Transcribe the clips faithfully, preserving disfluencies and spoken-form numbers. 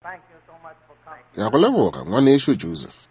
Ke a go leboga, ngwanešu Joseph.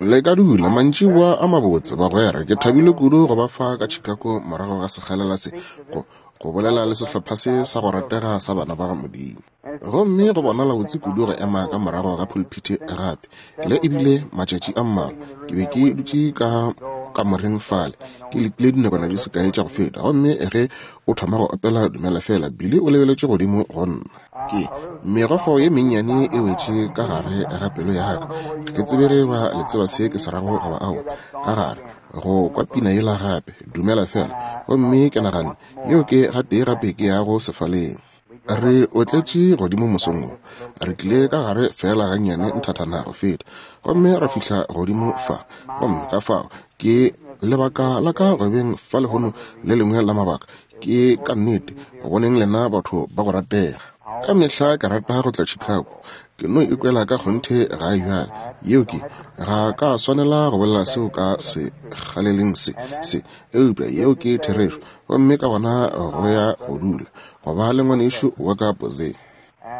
Le ka dula, mantšiboa a mabotse, bagwera. Ke thabile kudu go ba fa ka Chicago morago ga sekgalela se, go, go bolela le sehlopha se sa go ratega sa bana ba Modimo. Gomme go bonala botse kudu go ema ka morago ga pulpiti gape. Le ebile matšatši a mmalwa, ke be ke dutše ka kamoreng fale, ke letile dinakwana di se kae tša go feta, gomme ge o thoma go opela Dumela Fela, Billy o lebeletše godimo go nna. Ke megokgo ye mennyane e wetše ka gare ga pelo ya ka. Ga ke tsebe ge ba le tseba se ke se rago goba aowa, ka gare go kwa pina yela gape, Dumela Fela, gomme ke naganne, yeo ke gatee gape ke yago sefaleng. Re otletše godimo mosong wo, re tlile ka gare fela gannyane nthathana go feta, gomme ra fihla godimo fa. Gomme ka fao ke lebaka la ka go beng fa lehono le lengwe la mabaka, ke ka nnete go boneng lena batho ba go ratega. Ka mehla ke rata go tla Chicago, ke no ikwela ka kgonthe gae bjale. Yeo ke, ga ka swanela go bolela seo ka sekgaleleng se, se, eupša yeo ke therešo. Gomme ka gona go ya go dula, go ba le ngwanešu wa ka Jose.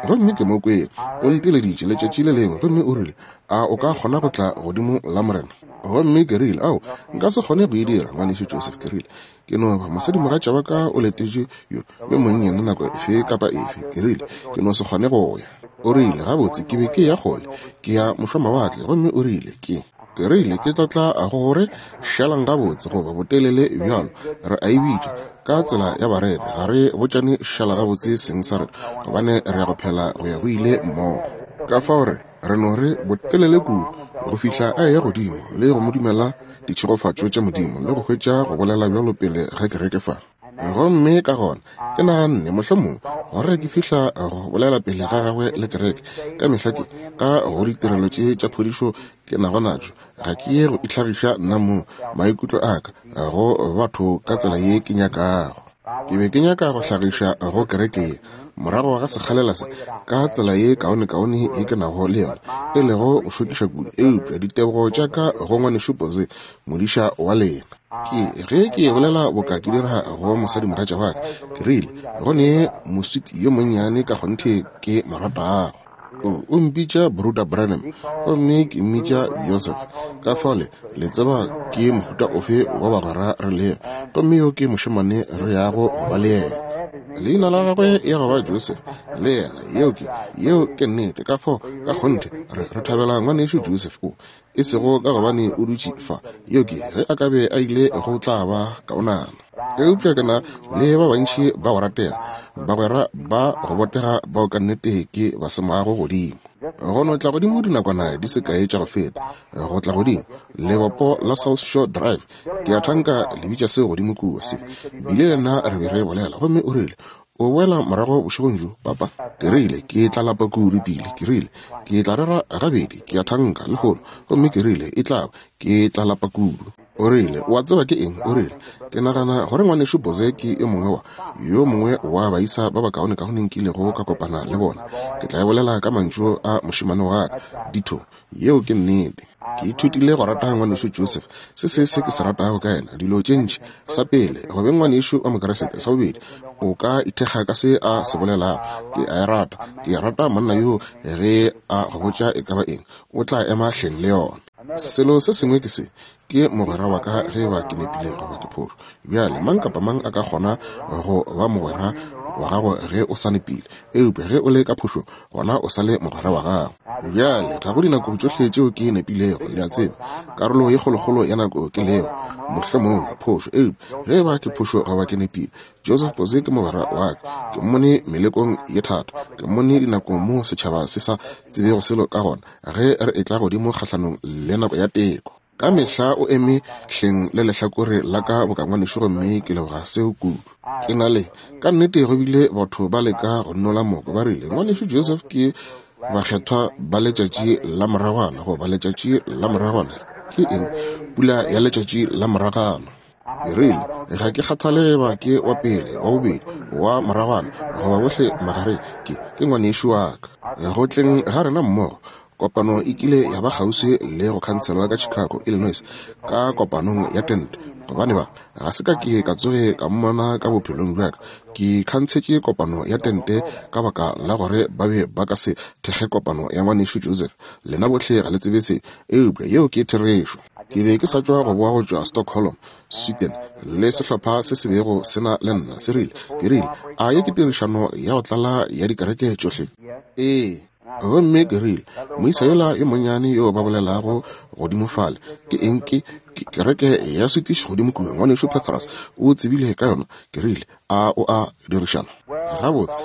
Gomme ke mo kwele, o nteleditše letšatši le lengwe, gomme o rile, a o ka kgona go tla godimo la Morena? Gomme ke rile, ao, nka se kgone go e dira, ngwanešu Joseph. Ke rile, ke no ba mosadimogatša wa ka o letetše yo yo monnyane nako efe kapa efe. Ke rile, ke no se kgone go ya. O rile, gabotse, ke be ke ya kgole, ke ya mošwamawatle. Gomme o rile, ke ke rile, ke tla tla go gore šalang gabotse goba botelele bjalo, re a e bitša ka tsela ya barere, ga re botšane šala gabotse seng sa rena, gobane re ya go phela go ya go ile mmogo. Ka fao re re no re botelele kudu go fihla a eya godimo le go mo dumela ditšhegofatšo tša Modimo le go hwetša go bolela bjalo pele ga kereke fa. Gomme ka gona ke naganne mohlomongwe gore ke fihla go bolela pele ga gagwe le kereke ka mehla ke ka go ditirelo tše tša phodišo ke nago natšo, ga ke ye go itlhagiša nna mong maikutlo a ka go batho ka tsela ye ke nyakago. Ke be ke nyaka go hlagiša go kereke ye morago ga sekgalela se ka tsela ye kaonekaone ye ke nago le yona, e lego go šokiša kudu, eupša ditebogo tša ka go ngwanešu Jose, modiša wa lena. Ke ge ke bolela boka ke dira go mosadimogatša wa ka, ke rile, go ne moswiti yo monnyane ka kgonthe ke mo ratago. O mpitša Bruder Branham, gomme ke mmitša Joseph. Ka fale le tseba ke mohuta ofe wa bagwera re lego, gomme yo ke mošemane re yago go ba le yena. Leina la gagwe ya go ba Joseph le yena. Yeo ke, yeo ke nnete. Ka fao ka kgonthe re re thabela ngwanešu Joseph o, e sego ka gobane o dutše fa. Yeo ke, ge a ka be a ile go tla ba kaonana. Eupša ke na le ba bantši ba go ratega, bagwera ba go botega bao ka nnete ke ba semago godimo. Go no tla godimo dinakwana di se kae tša go feta, go tla godimo lebopo la South Shore Drive, ke a thanka le bitša seo godimo kua se. Bile le nna re be re bolela, gomme o rile, o boela morago bošegong bjo, papa? Ke rile, ke tla lapa kudu pele. Ke rile, ke tla rera gabedi, ke a thanka lehono. Gomme ke rile, e tla ba, ke tla lapa kudu. O rile, o a tseba ke eng? O rile, ke nagana gore ngwanešu Jose ke yo mongwe wa yo mongwe wa baisa ba bakaonekaone nkilego ka kopana le bona. Ke tla e bolela ka mantšu a mošemane wa ka, ditho. Yeo ke nnete. Ke ithutile go rata ngwanešu Joseph. Se se se ke se ratago ka yena, dilo tše ntši. Sa pele, go beng ngwanešu wa Mokeresete. Sa bobedi, o ka ithekga ka se a se bolelago. Ke a e rata. Ke rata monna yo ge a go botša e ka ba eng, o tla ema hleng le yona. Selo se sengwe ke se, ke mogwera wa ka ge ba ke nepile goba ke phošo. Bjale mang kapa mang a ka kgona go ba mogwera wa gago ge o sa nepile, eupša ge o le ka phošo gona o sa le mogwera wa gago. Bjale ga go dinako tšohle tšeo ke nepilego, le a tseba, karolo ye kgolokgolo ya nako ke lego mohlomongwe phošo, eupša ge ba ke phošo goba ke nepile, Joseph Jose ke mogwera wa ka. Ke mmone melekong ye thata, ke mmone dinakong mo setšhaba se sa tsebego selo ka gona ge re etla godimo kgahlanong le nako ya teko. Ka mehla o eme hleng le lehlakore la ka boka ngwanešu, gomme ke leboga seo kudu. Ke na le ka nnete go bile batho ba leka go nnola moko, ba rile ngwanešu Joseph ke bakgethwa ba letšatši la moragwana goba letšatši la moragwana ke eng, pula ya letšatši la moragwana. Ke rile, ga ke kgathale ge ba ke wa pele, wa bobedi, wa moragwana goba bohle magareng, ke ke ngwanešu wa ka. Go tleng ga rena mmogo, kopano e kile ya ba kgauswi le go khanselwa ka Chicago, Illinois, ka kopanong ya tente. Gobane ba, ga se ka ke ka tsoge ka mmona ka bophelong bja ka. Ke khantshetše kopano ya tente ka baka la gore ba be ba ka se thekge kopano ya ngwanešu Joseph. Lena bohle ga le tsebe se, eupša yeo ke therešo. Ke be ke sa tšwa go boa go tšwa Stockholm, Sweden, le sehlopha se se bego se na le nna se rile, ke rile, a ye ke tirišano ya go tlala ya dikereke tšohle? Ee. Gomme ke rile, moisa yola yo monnyane yo ba bolelago godimo fale, ke eng ke kereke ya Swedish godimo kua, ngwanešu Petrus o tsebile ka yona. Ke rile, a o a dirišana? Gabotse,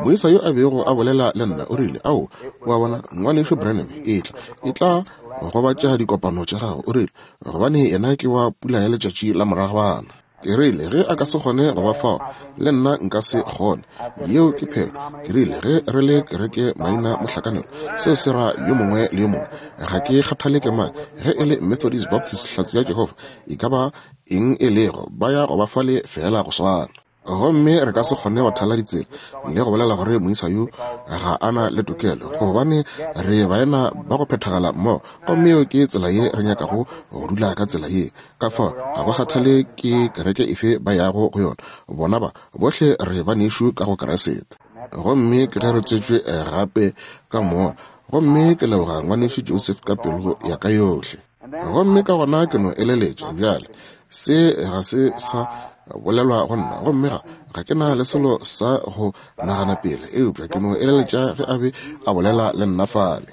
moisa yo a bego a bolela le nna o rile, ao, o a bona, ngwanešu Branham, e tla, e tla gobatša dikopano tša gago. O rile, gobane yena ke wa pula ya letšatši la moragwana. Ke rile, ge a ka se kgone go ba fao, le nna nka se kgone. Yeo ke phelo. Ke rile, ge re le kereke maina mohlakanelo, seo se ra yo mongwe le yo mongwe. Ga ke kgathale ke mang, ge e le Methodist, Baptist, Hlatse ya Jehofa, e ka ba eng e lego, ba ya go ba fale fela go swana. Gomme re ka se kgone go thala ditsela le go bolela gore moisa yo ga a na le tokelo, gobane re baena ba go phethagala mmogo, gomme yeo ke tsela ye re nyakago go dula ka tsela ye. Ka fao ga go kgathale ke kereke efe ba yago go yona, bona ba bohle re banešu ka go Keresete. Gomme ke ge re tswetšwe gape ka moya, gomme ke leboga ngwanešu Joseph ka pelo ya ka yohle. Gomme ka gona ke no eleletša bjale, se ga se sa bolelwa go nna, gomme ga ga ke na le selo sa go nagana pele, eupša ke no eleletša ge a be a bolela le nna fale,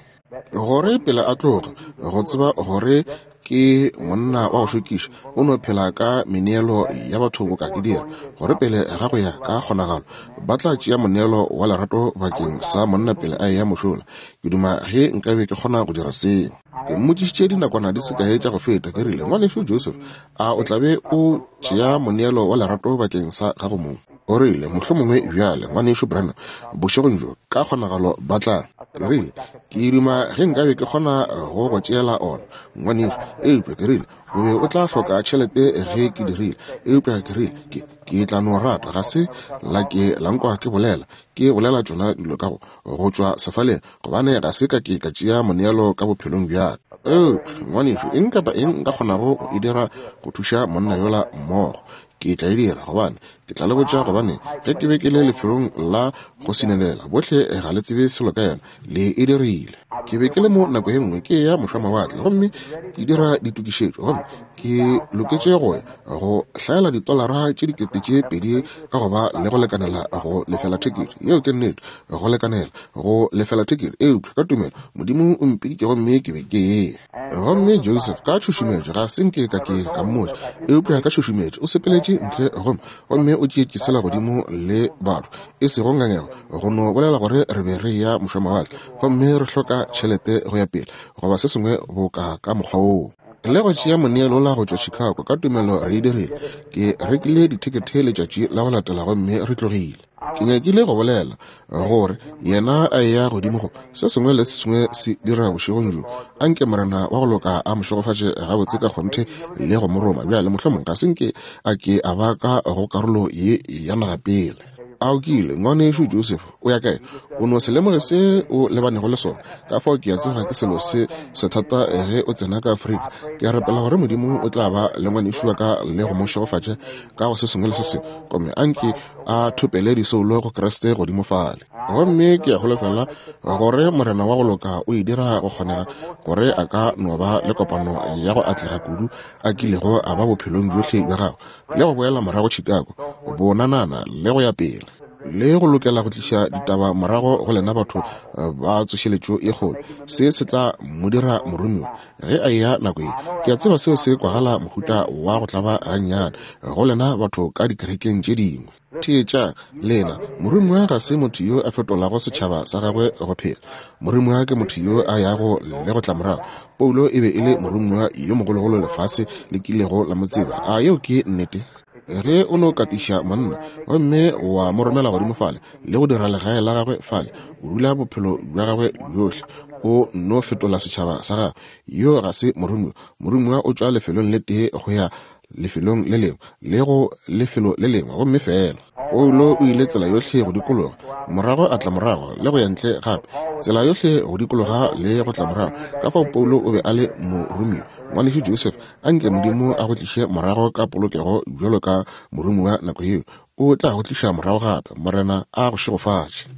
gore pele a tloga, go tseba gore ke monna wa go šokiša, o no phela ka meneelo ya batho boka ke dira, gore pele ga go ya ka kgonagalo ba tla tšea moneelo wa lerato bakeng sa monna pele a eya mošola. Ke duma ge nkabe ke kgona go dira seo. Ke mmotšišitše dinakwana di se kae tša go feta, ke rile, ngwanešu Joseph, a o tla be o tšea moneelo wa lerato bakeng sa gago mong? O rile, mohlomongwe bjale, ngwanešu Branham, bošegong bjo ka kgonagalo ba tla. Ke rile, ke duma ge nkabe ke kgona go go tšeela ona, ngwanešu, eupša ke rile, o be o tla hloka tšhelete ge ke dirile, eupša ke rile, ke ke tla no rata, ga se la ke la nkwa ke bolela, ke bolela tšona dilo ka go go tšwa sefaleng, gobane ga se ka ke ka tšea moneelo ka bophelong bja ka. Eupša ngwanešu, eng kapa eng nka kgonago go e dira go thuša monna yola mmogo, ke tla e dira, gobane ke tla le botša, gobane ge ke be ke le lefelong la go sinelela, bohle ga le tsebe selo ka yona, le e dirile. Ke be ke le mo nako ye nngwe ke ya mošwamawatle, gomme ke dira ditokišetšo, gomme ke loketše go ya go hlaela ditolara tše dikete tše pedi ka go ba le go lekanela go lefela thekete. Yeo ke nnete, go lekanela go lefela thekete, eupša ka tumelo Modimo o mpiditše gomme ke be ke ye. Gomme Joseph ka tšhušumetšo, ga se nke ka ke ka mmotša, eupša ka tšhušumetšo o sepeletše ntle gomme gomme o tšeetše sela godimo le batho, e sego ngangego, go no bolela gore re be re ya mošwamawatle gomme re hloka tšhelete go ya pele, goba se sengwe boka ka mokgwa woo. Le go tšea moneelo la go tšwa Chicago, ka tumelo re e dirile. Ke rekile dithekethe letšatši la go latela gomme re tlogile. Ke nyakile go bolela gore yena a eya godimo go se sengwe le se sengwe se dira bošegong bjo, anke Morena wa go loka a mo šegofatše gabotse ka kgonthe le go mo roma. Bjale mohlomong ga se nke a ke a ba ka go karolo ye ya naga pele. A o kile, ngwanešu Joseph, o ya kae? O no se lemoge se o lebanego le sona. Ka fao ke a tseba ke selo se sethata ge o tsena ka Afrika. Ke a rapela gore Modimo o tla ba le ngwanešu wa ka le go mo šegofatša ka go se sengwe le se sengwe, gomme anke a thopele disoulo go Kriste godimo fale. Gomme ke a holofela gore Morena wa go loka o e dira go kgonega gore a ka no ba le kopano ya go atlega kudu a kilego a ba bophelong bjohle bja gagwe, le go boela morago Chicago, bonanana le go ya pele, le go lokela go tliša ditaba morago go lena batho ba tsošeletšo e kgolo. Se se tla mo dira moromiwa ge a eya nako ye. Ke a tseba seo se kwagala mohuta wa go tlaba gannyane go lena batho ka dikerekeng tše dingwe. Theetša lena, moromiwa ga se motho yo a fetolago setšhaba sa gagwe go phela. Moromiwa ke motho yo a yago le go tla morago. Paulo e be e le moromiwa yo mogologolo lefase le kilego la mo tseba. A yeo ke nnete? Ge o no katiša monna gomme wa mo romela godimo fale le go dira legae la gagwe fale, o dula bophelo bja gagwe bjohle, o no fetola setšhaba sa gagwe. Yo ga se moromiwa. Moromiwa o tšwa lefelong le tee go ya lefelong le lengwe le go lefelo le lengwe, gomme fela Paulo o ile tsela yohle go dikologa, morago a tla morago le go ya ntle gape, tsela yohle go dikologa le go tla morago. Ka fao Paulo o be a le moromiwa. Ngwanešu Joseph, anke Modimo a go tliše morago ka polokego bjalo ka moromiwa nako yeo. O tla go tliša morago gape. Morena a go šegofatše.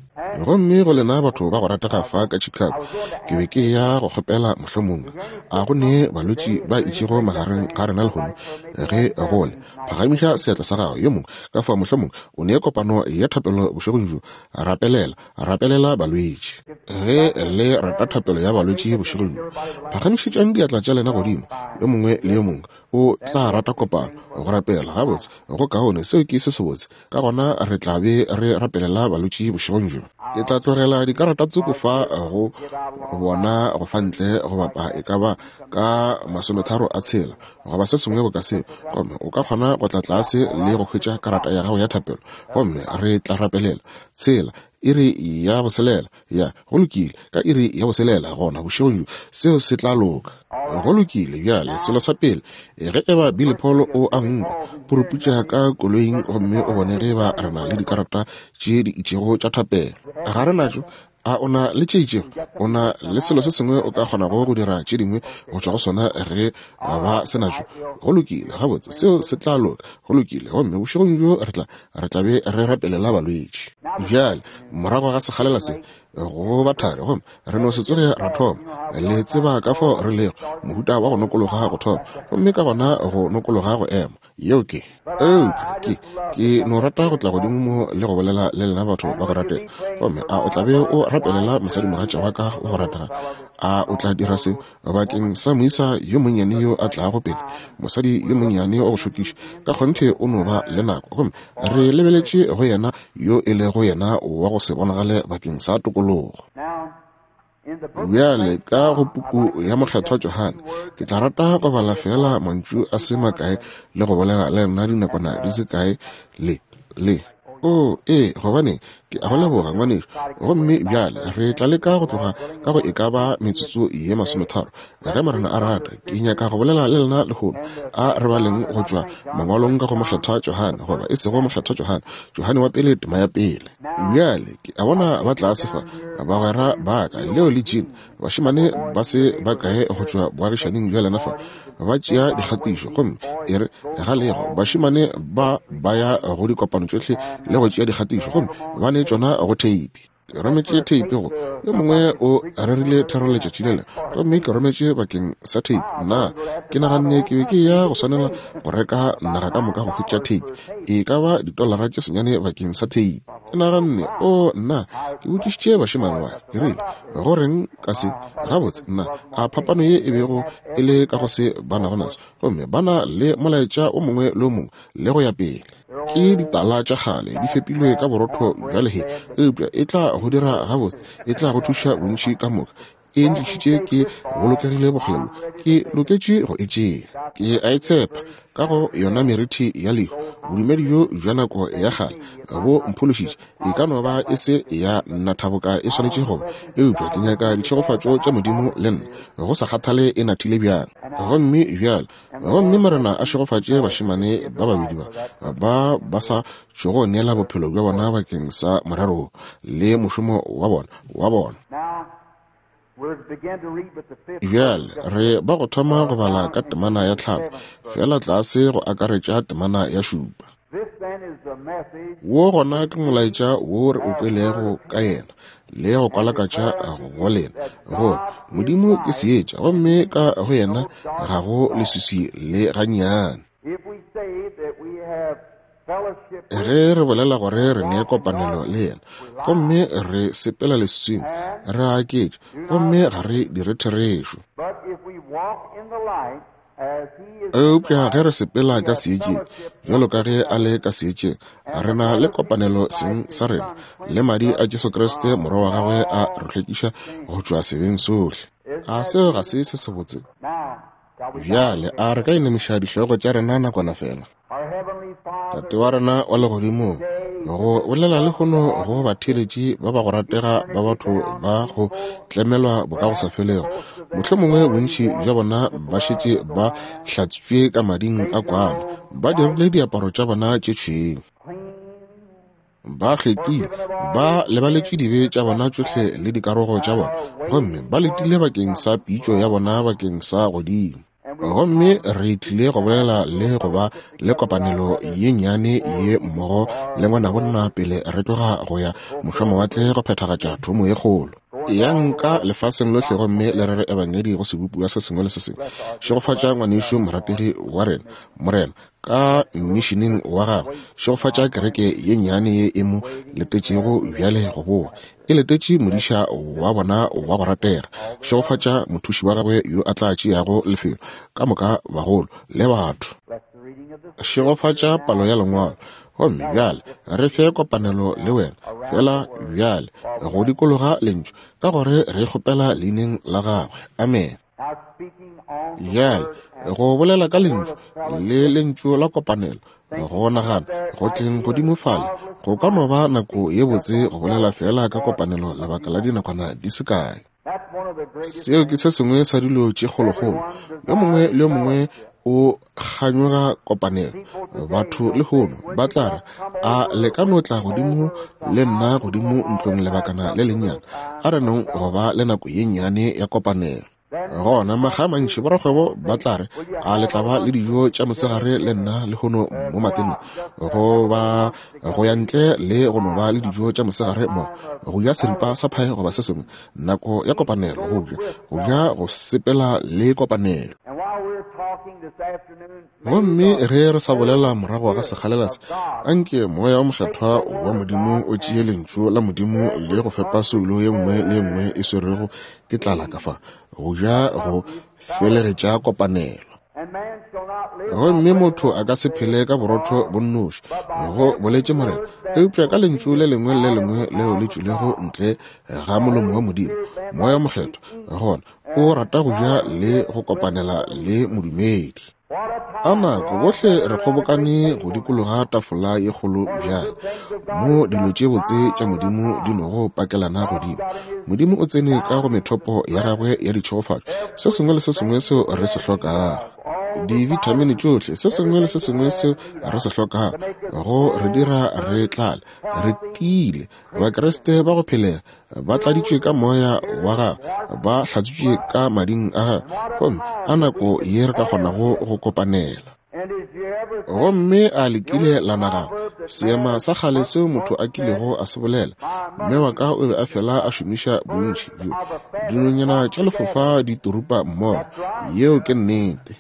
Gomme go lena batho ba go ratega fa ka Chicago, ke be ke ya go kgopela mohlomongwe a go ne balwetši ba itšego magareng ga rena lehono. Ge go le, phagamiša seatla sa gago. Yo mongwe ka fa mohlomongwe o ne kopano ya thapelo bošegong bjo. Rapelela, rapelela balwetši. Ge le rata thapelo ya balwetši bošegong bjo, phagamišetšang diatla tša lena godimo, yo mongwe le yo mongwe o tla rata kopano go rapela. Gabotse, go kaone, seo ke se sebotse. Ka gona re tla be re rapelela balwetši bošegong bjo. Ke tla tlogela dikarata tsoko fa go bona go fa ntle go bapa e ka ba ka masometharo a tshela goba se sengwe boka seo, gomme o ka kgona go tla tlase le go hwetša karata ya gago ya thapelo, gomme re tla rapelela. Tshela, iri ya boselela, ya go lokile, ka iri ya boselela gona bošegong bjo, seo se tla loka. Go lokile. Bjale selo sa pele, ge eba Billy Paul o a nkwa, puruputša ka koloing gomme o bone ge ba re na le dikarata tše di itšego tša thapelo. Ga re natšo. A o na le tše itšego? O na le selo se sengwe o ka kgonago go dira tše dingwe go tšwa go sona ge ba se natšo? Go lokile, gabotse, seo se tla loka. Go lokile. Gomme bošegong bjo re tla re tla be re rapelela balwetši. Bjale morago ga sekgalela se go ba thari, gomme re no se tsoge ra thoma. Le tseba ka fao re lego, mohuta wa go nokologa go thoma, gomme ka gona go nokologa go ema. Yeo ke eupša ke ke no rata go tla godimo mo le go bolela le lena batho ba go ratega. Gomme a o tla be o rapelela mosadimogatša wa ka wa go ratega? A o tla dira se bakeng sa moisa yo monnyane yo a tlago pele, mosadi yo monnyane wa go šokiša? Ka kgonthe o no ba le nako, gomme re lebeletše go yena yo e lego yena wa go se bonagale bakeng sa tokologo. Bjale ka go puku ya Mokgethwa Johane, ke tla rata go bala fela mantšu a se makae le go bolela le lena dinakwana di se kae le le o ee, gobane ke a go leboga ngwanešu. Gomme bjale re tla leka go tloga ka go e ka ba metsotso ye masometharo ge Morena a rata. Ke nyaka go bolela le lena lehono. A re baleng go tšwa mangwalong ka go Mokgethwa Johane, goba e sego Mokgethwa Johane, Johane wa pele, tema ya pele. Bjale ke a bona ba tlase fa, bagwera ba ka, Leo le Jean, bašemane ba se ba kae go tšwa boagišaning bja lena fa, ba tšea dikgatišo. Gomme e re ga lego bašemane ba ba ya go dikopano tšohle le go tšea dikgatišo, gomme ba ne tšona go theipi. Ke rometše theipi go yo mongwe o rerile thero letšatši lela, gomme ke rometše bakeng sa theipi. Nna ke naganne ke be ke ya go swanela go reka naga ka moka go hwetša theipi, e ka ba ditolara tše senyane bakeng sa theipi. Ke naganne, o nna, ke botšišitše bašemane ba, ke rile, go reng ka se? Gabotse, nna, a phapano ye e bego e le ka go se ba nago naso, gomme ba na le molaetša o mongwe le o mongwe le go ya pele. Ke ditala tša kgale di fepilwe ka borotho bja lehe, eupša e tla go dira gabotse, e tla go thuša bontši ka moka. E ntlišitše ke bolokegile bokgole bjo, ke loketše go e tšea. Ke a e tshepa ka go yona merithi ya lehu. Bodumedi bjo bja nako ya kgale bo mphološitše. E ka no ba e se ya nathaboka e swanetše go ba, eupša ke nyaka ditšhegofatšo tša Modimo le nna, go sa kgathale e nathile bjang. Gomme bjale, gomme Morena a šegofatše bašemane ba babedi ba ba ba sa tšogo neela bophelo bja bona bakeng sa morero le mošomo wa bona wa bona. Bjale re ba go thoma go bala ka temana ya tlhano, fela tlase go akaretša temana ya šupa. Wo gona ke molaetša wo re o kwelego ka yena le go kwalakatša go lena, gore Modimo ke seetša, gomme ka go yena ga go leswiswi le gannyane. Ge re bolela gore re ne kopanelo le yena, gomme re sepela leswiswing, re aketša, gomme ga re dire therešo. Eupša ge re sepela ka seetšeng, bjalo ka ge a le ka seetšeng, re na le kopanelo seng sa rena, le madi a Jesu Kriste morwa wa gagwe a re hlwekiša go tšwa sebeng sohle. A seo ga se se sebotse? Bjale a re ka inamiša dihlogo tša rena nakwana fela. Tate wa rena wa legodimong, Go bolela lehono go batheeletši ba ba go ratega ba batho ba go tlemelwa bokagosafelego. Mohlomongwe bontši bja bona ba šetše ba hlatswitšwe ka mading a kwana, ba dirile diaparo tša bona tše tšhweu, ba hlwekile, ba lebaletšwe dibe tša bona tšohle le dikarogo tša bona, gomme ba letile bakeng sa pitšo ya bona bakeng sa godimo. Gomme re tlile go bolela le go ba le kopanelo ye nnyane ye mmogo le ngwanabonna pele re tloga go ya mošomawatle go phethagatša thomo ye kgolo. Yang ka lefaseng lohle gomme le rere ebangedi go sebopiwa se sengwe le se sengwe. Šegofatša ngwanešu morategi wa rena, Morena, ka mmišineng wa gagwe. Šegofatša kereke ye nnyane ye e mo letetšego bjale go boa. E letetše modiša wa bona wa go ratega. Šegofatša mothuši wa gagwe yo a tla tšeago lefelo, ka moka bagolo le batho. Šegofatša palo ya lengwalo. Gomme bjale re fe kopanelo le wena fela bjale go dikologa lentšu, ka gore re kgopela leineng la gagwe. Amen. Bjale go bolela ka lentšu le lentšu la kopanelo, go nagana go tleng godimo fale go ka no ba nako ye botse go bolela fela ka kopanelo lebaka la dinakwana di se kae. Seo ke se sengwe sa dilo tše kgolokgolo. Yo mongwe le yo mongwe o kganyoga kopanelo. Batho lehono ba tla re, a le ka no tla godimo le nna godimo ntlong lebakana le lennyane, a re nong go ba le nako ye nnyane ya kopanelo. Gona makga a mantši borakgwebo ba tla re, a le tla ba le dijo tša mosegare le nna lehono mo mateneng, goba go ya ntle le go no ba le dijo tša mosegare mo, go ja seripa sa phae goba se sengwe. Nako ya kopanelo, go ja, go ja go sepela le kopanelo. Gomme ge re sa bolela morago ga sekgalela se, anke moya o mokgethwa wa Modimo o tšee lentšu la Modimo le go fepa soulo ye nngwe le ye nngwe e swerwego ke tlala ka fa, go ja go felegetša kopanelo. Gomme motho a ka se phele ka borotho bo nnoši, go boletše Morena, eupša ka lentšu le lengwe le lengwe leo le tšwilego ntle ga molomo wa Modimo. Moya o mokgethwa gona o rata go ja le go kopanela le modumedi. A nako bohle re kgobokane go dikologa tafola ye kgolo bjale, mo dilo tše botse tša Modimo di nogo pakelana godimo. Modimo o tsene ka go methopo ya gagwe ya ditšhegofatšo, se sengwe le se sengwe seo re se hlokago, divitamine tšohle, se sengwe le se sengwe seo re se hlokago go re dira re tlale, re tiile. Bakreste ba go phelega ba tladitšwe ka moya wa gagwe, ba hlatswitšwe ka mading a gagwe, gomme a nako ye re ka kgonago go kopanela. Gomme a le kile la nagana seema sa kgale seo motho a kilego a se bolela, mme wa ka o be a fela a šomiša bontši bjo, dinonyana tša lefofa di turupa mmogo. Yeo ke nnete.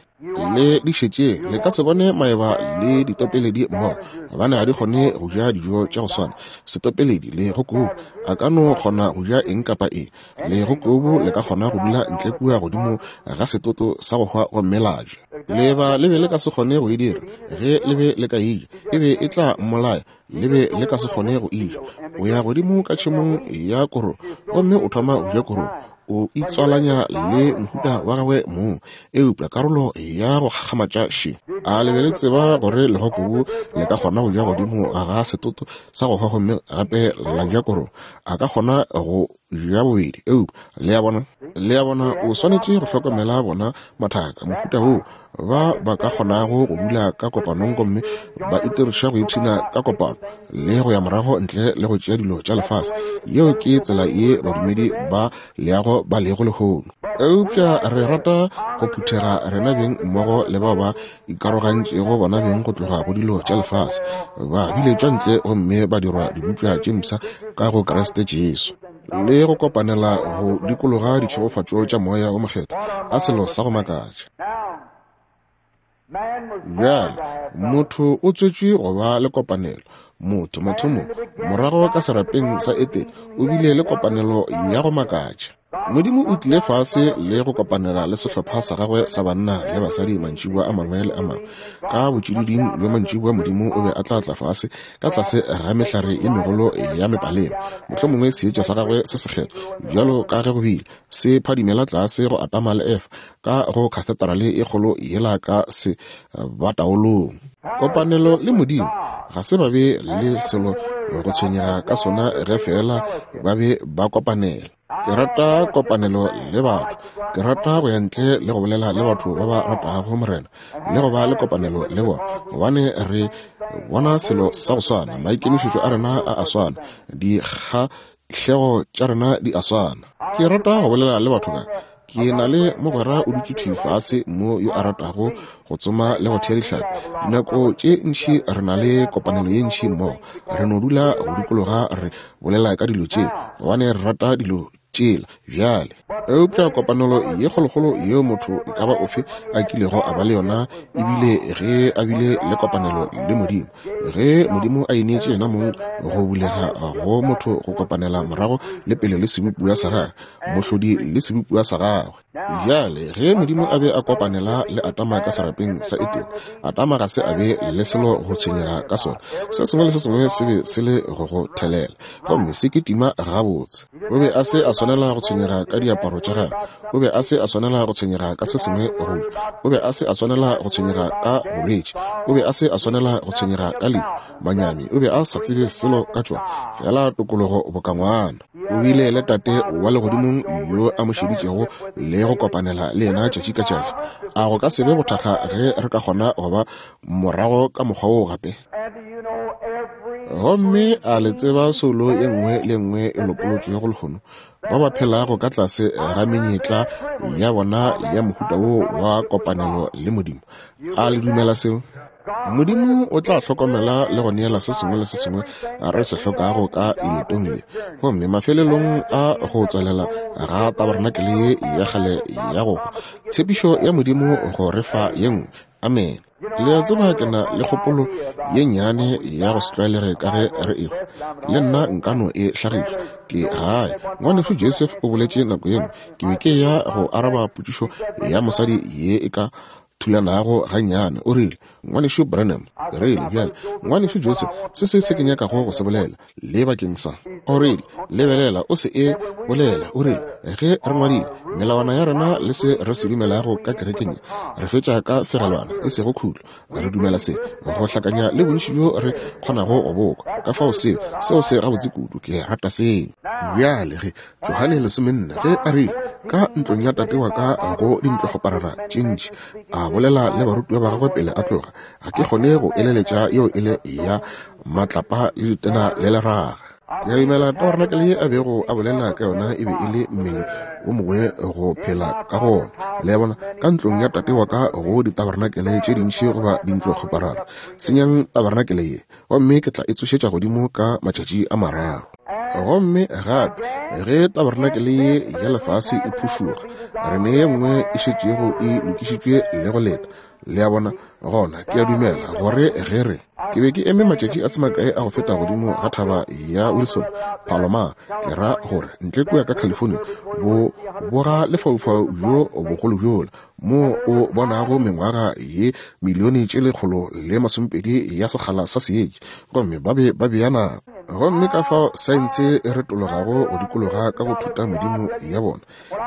Le di šetšeng, le ka se bone maeba le ditopeledi mmogo, gobane ga di kgone go ja dijo tša go swana. Setopeledi le gokobu a ka no kgona go ja eng kapa eng. Le gokobu le ka kgona go dula ntle kua godimo ga setoto sa go hwa gomme la ja. Leeba le be le ka se kgone go e dira. Ge le be le ka e ja, e be e tla mmolaya. Le be le ka se kgone go e ja. O ya godimo ka tšhemong ya korong gomme o thoma go ja korong, o itswalanya le mohuta wa gagwe mong, eupša karolo ya go kgakgamatša še. A le be le tseba gore legokobu le ka kgona go ja godimo ga setoto sa go hwa gomme gape la ja korong? A ka kgona go ja bobedi, eupša le a bona, le a bona, o swanetše go hlokomela bona mathaka mohuta woo ba ba ka kgonago go dula ka kopanong gomme ba itiriša go ipshina ka kopano le go ya morago ntle le go tšea dilo tša lefase. Yeo ke tsela ye badumedi ba leago ba lego lehono. Eupša re rata go phuthega rena beng mmogo le bao ba ikarogantšego bona beng go tloga go dilo tša lefase, ba biletšwa ntle gomme ba dirwa dibopša tše mpsha ka go Kriste Jesu, le go kopanela go dikologa ditšhegofatšo tša moya o mokgethwa. A selo sa go makatša. Bjale motho o tswetšwe go ba le kopanelo. Motho mathomong morago ka serapeng sa Etene o bile le kopanelo ya go makatša. Modimo o tlile fase le go kopanela le sehlopha sa gagwe sa banna le basadi mantšiboa a mangwe le a mangwe. Ka botšididing bja mantšiboa Modimo o be a tla tla fase ka tlase ga mehlare ye megolo ya mepalema, mohlomongwe seetša sa gagwe se sekgethwa, bjalo ka ge go bile, se phadimela tlase go Adama le Efa ka go katheterale e kgolo yela ka se bataolong. Kopanelo le Modimo ga se ba be le selo go tshwenyega ka sona ge fela ba be ba kopanela. Ke rata kopanelo le batho. Ke rata go ya ntle le go bolela le batho ba ba ratago Morena le go ba le kopanelo le bona, gobane re bona selo sa go swana, maikemišetšo a rena a a swana, dikgahlego tša rena di a swana. Ke rata go bolela le batho ka. Ke na le mogwera o dutše thwi fase mo yo a ratago go tsoma le go thea dihlapi. Dinako tše ntši re na le kopanelo ye ntši mmogo, re no dula go dikologa re bolela ka dilo tšeo, gobane re rata dilo tšela bjale. Eupša kopanelo ye kgolokgolo yeo motho e ka ba ofe a kilego a ba le yona ebile ge a bile le kopanelo le Modimo, ge Modimo a ineetše yena mong go bulega go motho go kopanela morago le pele le sebopiwa sa gagwe, mohlodi le sebopiwa sa gagwe. Bjale ge Modimo a be a kopanela le Adama ka serapeng sa Edene, Adama ga se a be le selo go tshwenyega ka sona. Se sengwe le se sengwe se be se le go go thelela, gomme se kitima gabotse. O be a se a swanela go tshwenyega ka diaparo tša gagwe, o be a se a swanela go tshwenyega ka se sengwe go ja, o be a se a swanela go tshwenyega ka bolwetši, o be a se a swanela go tshwenyega ka lehu, manyami, o be a sa tsebe selo ka tšona, fela tokologo boka ngwana. O bile le Tate wa legodimong yo a mo šeditšego le go kopanela le yena tšatši ka tšatši. A go ka se be bothakga ge re ka kgona go ba morago ka mokgwa woo gape? Gomme a le tseba soulo ye nngwe le nngwe e lopolotšwego lehono, ba ba phelago ka tlase ga menyetla ya bona ya mohuta wo wa kopanelo le Modimo. A le dumela seo? Modimo o tla hlokomela le go neela se sengwe le se sengwe re se hlokago ka leetong le. Gomme mafelelong a go tswelela ga tabernakel ye ya kgale ya go hwa, tshepišo ya Modimo go re fa ye nngwe. Amen. Le a tseba ke na le kgopolo ye nnyane ya go se tlwaelege ka ge re ehwa, le nna nka no e hlagiša. Ke gae. Ngwanešu Joseph o boletše nako ye nngwe, ke be ke ya go araba potšišo ya mosadi ye e ka thulanago gannyane. O rile, Ngwanešu Branham, ke rile, bjale, Ngwanešu Joseph, se se se ke nyakago go se bolela le bakeng sa. O rile, lebelela, o se e bolela. O rile, ge re ngwadile melawana ya rena le se re se dumelago ka kerekeng, re fetša ka fegelwana e sego khutlo. Re dumela se go hlakanya le bontši bjo re kgonago go bokwa. Ka fao seo, seo se gabotse kudu, ke rata seo. Bjale ge Johane lesomenne ge a rile ka ntlong ya tate wa ka go dintlokgoparara tše ntši, a bolela le barutiwa ba gagwe pele a tloga, ga ke kgone go eleletša yeo e le ya matlapa le ditena le leraga. Ke a dumela tabernakel ye a bego a bolela ka yona e be e le mmele o mongwe go phela ka gona. Le a bona, ka ntlong ya tate wa ka go ditabernakele tše dintši goba dintlokgoparara. Senyang tabernakele ye, gomme ke tla e tsošetša godimo ka matšatši a mararo. Gomme gape ge tabernakele ye ya lefase e phušoga, re ne ye nngwe e šetšego e lokišitšwe le go leta. Le a bona, gona ke a dumela gore ge re ke be ke eme matšatši a se makae a go feta godimo ga thaba ya Wilson Palomar, ke ra gore ntle kua ka California, bo boga lefaufau bjo bogolo bjola mo o bonago mengwaga ye milione tše lekgolo le masomepedi ya sekgala sa seetša, gomme ba be ba bea nako. Gomme ka fao saense e retologago go dikologa ka go thuta modimo ya bona.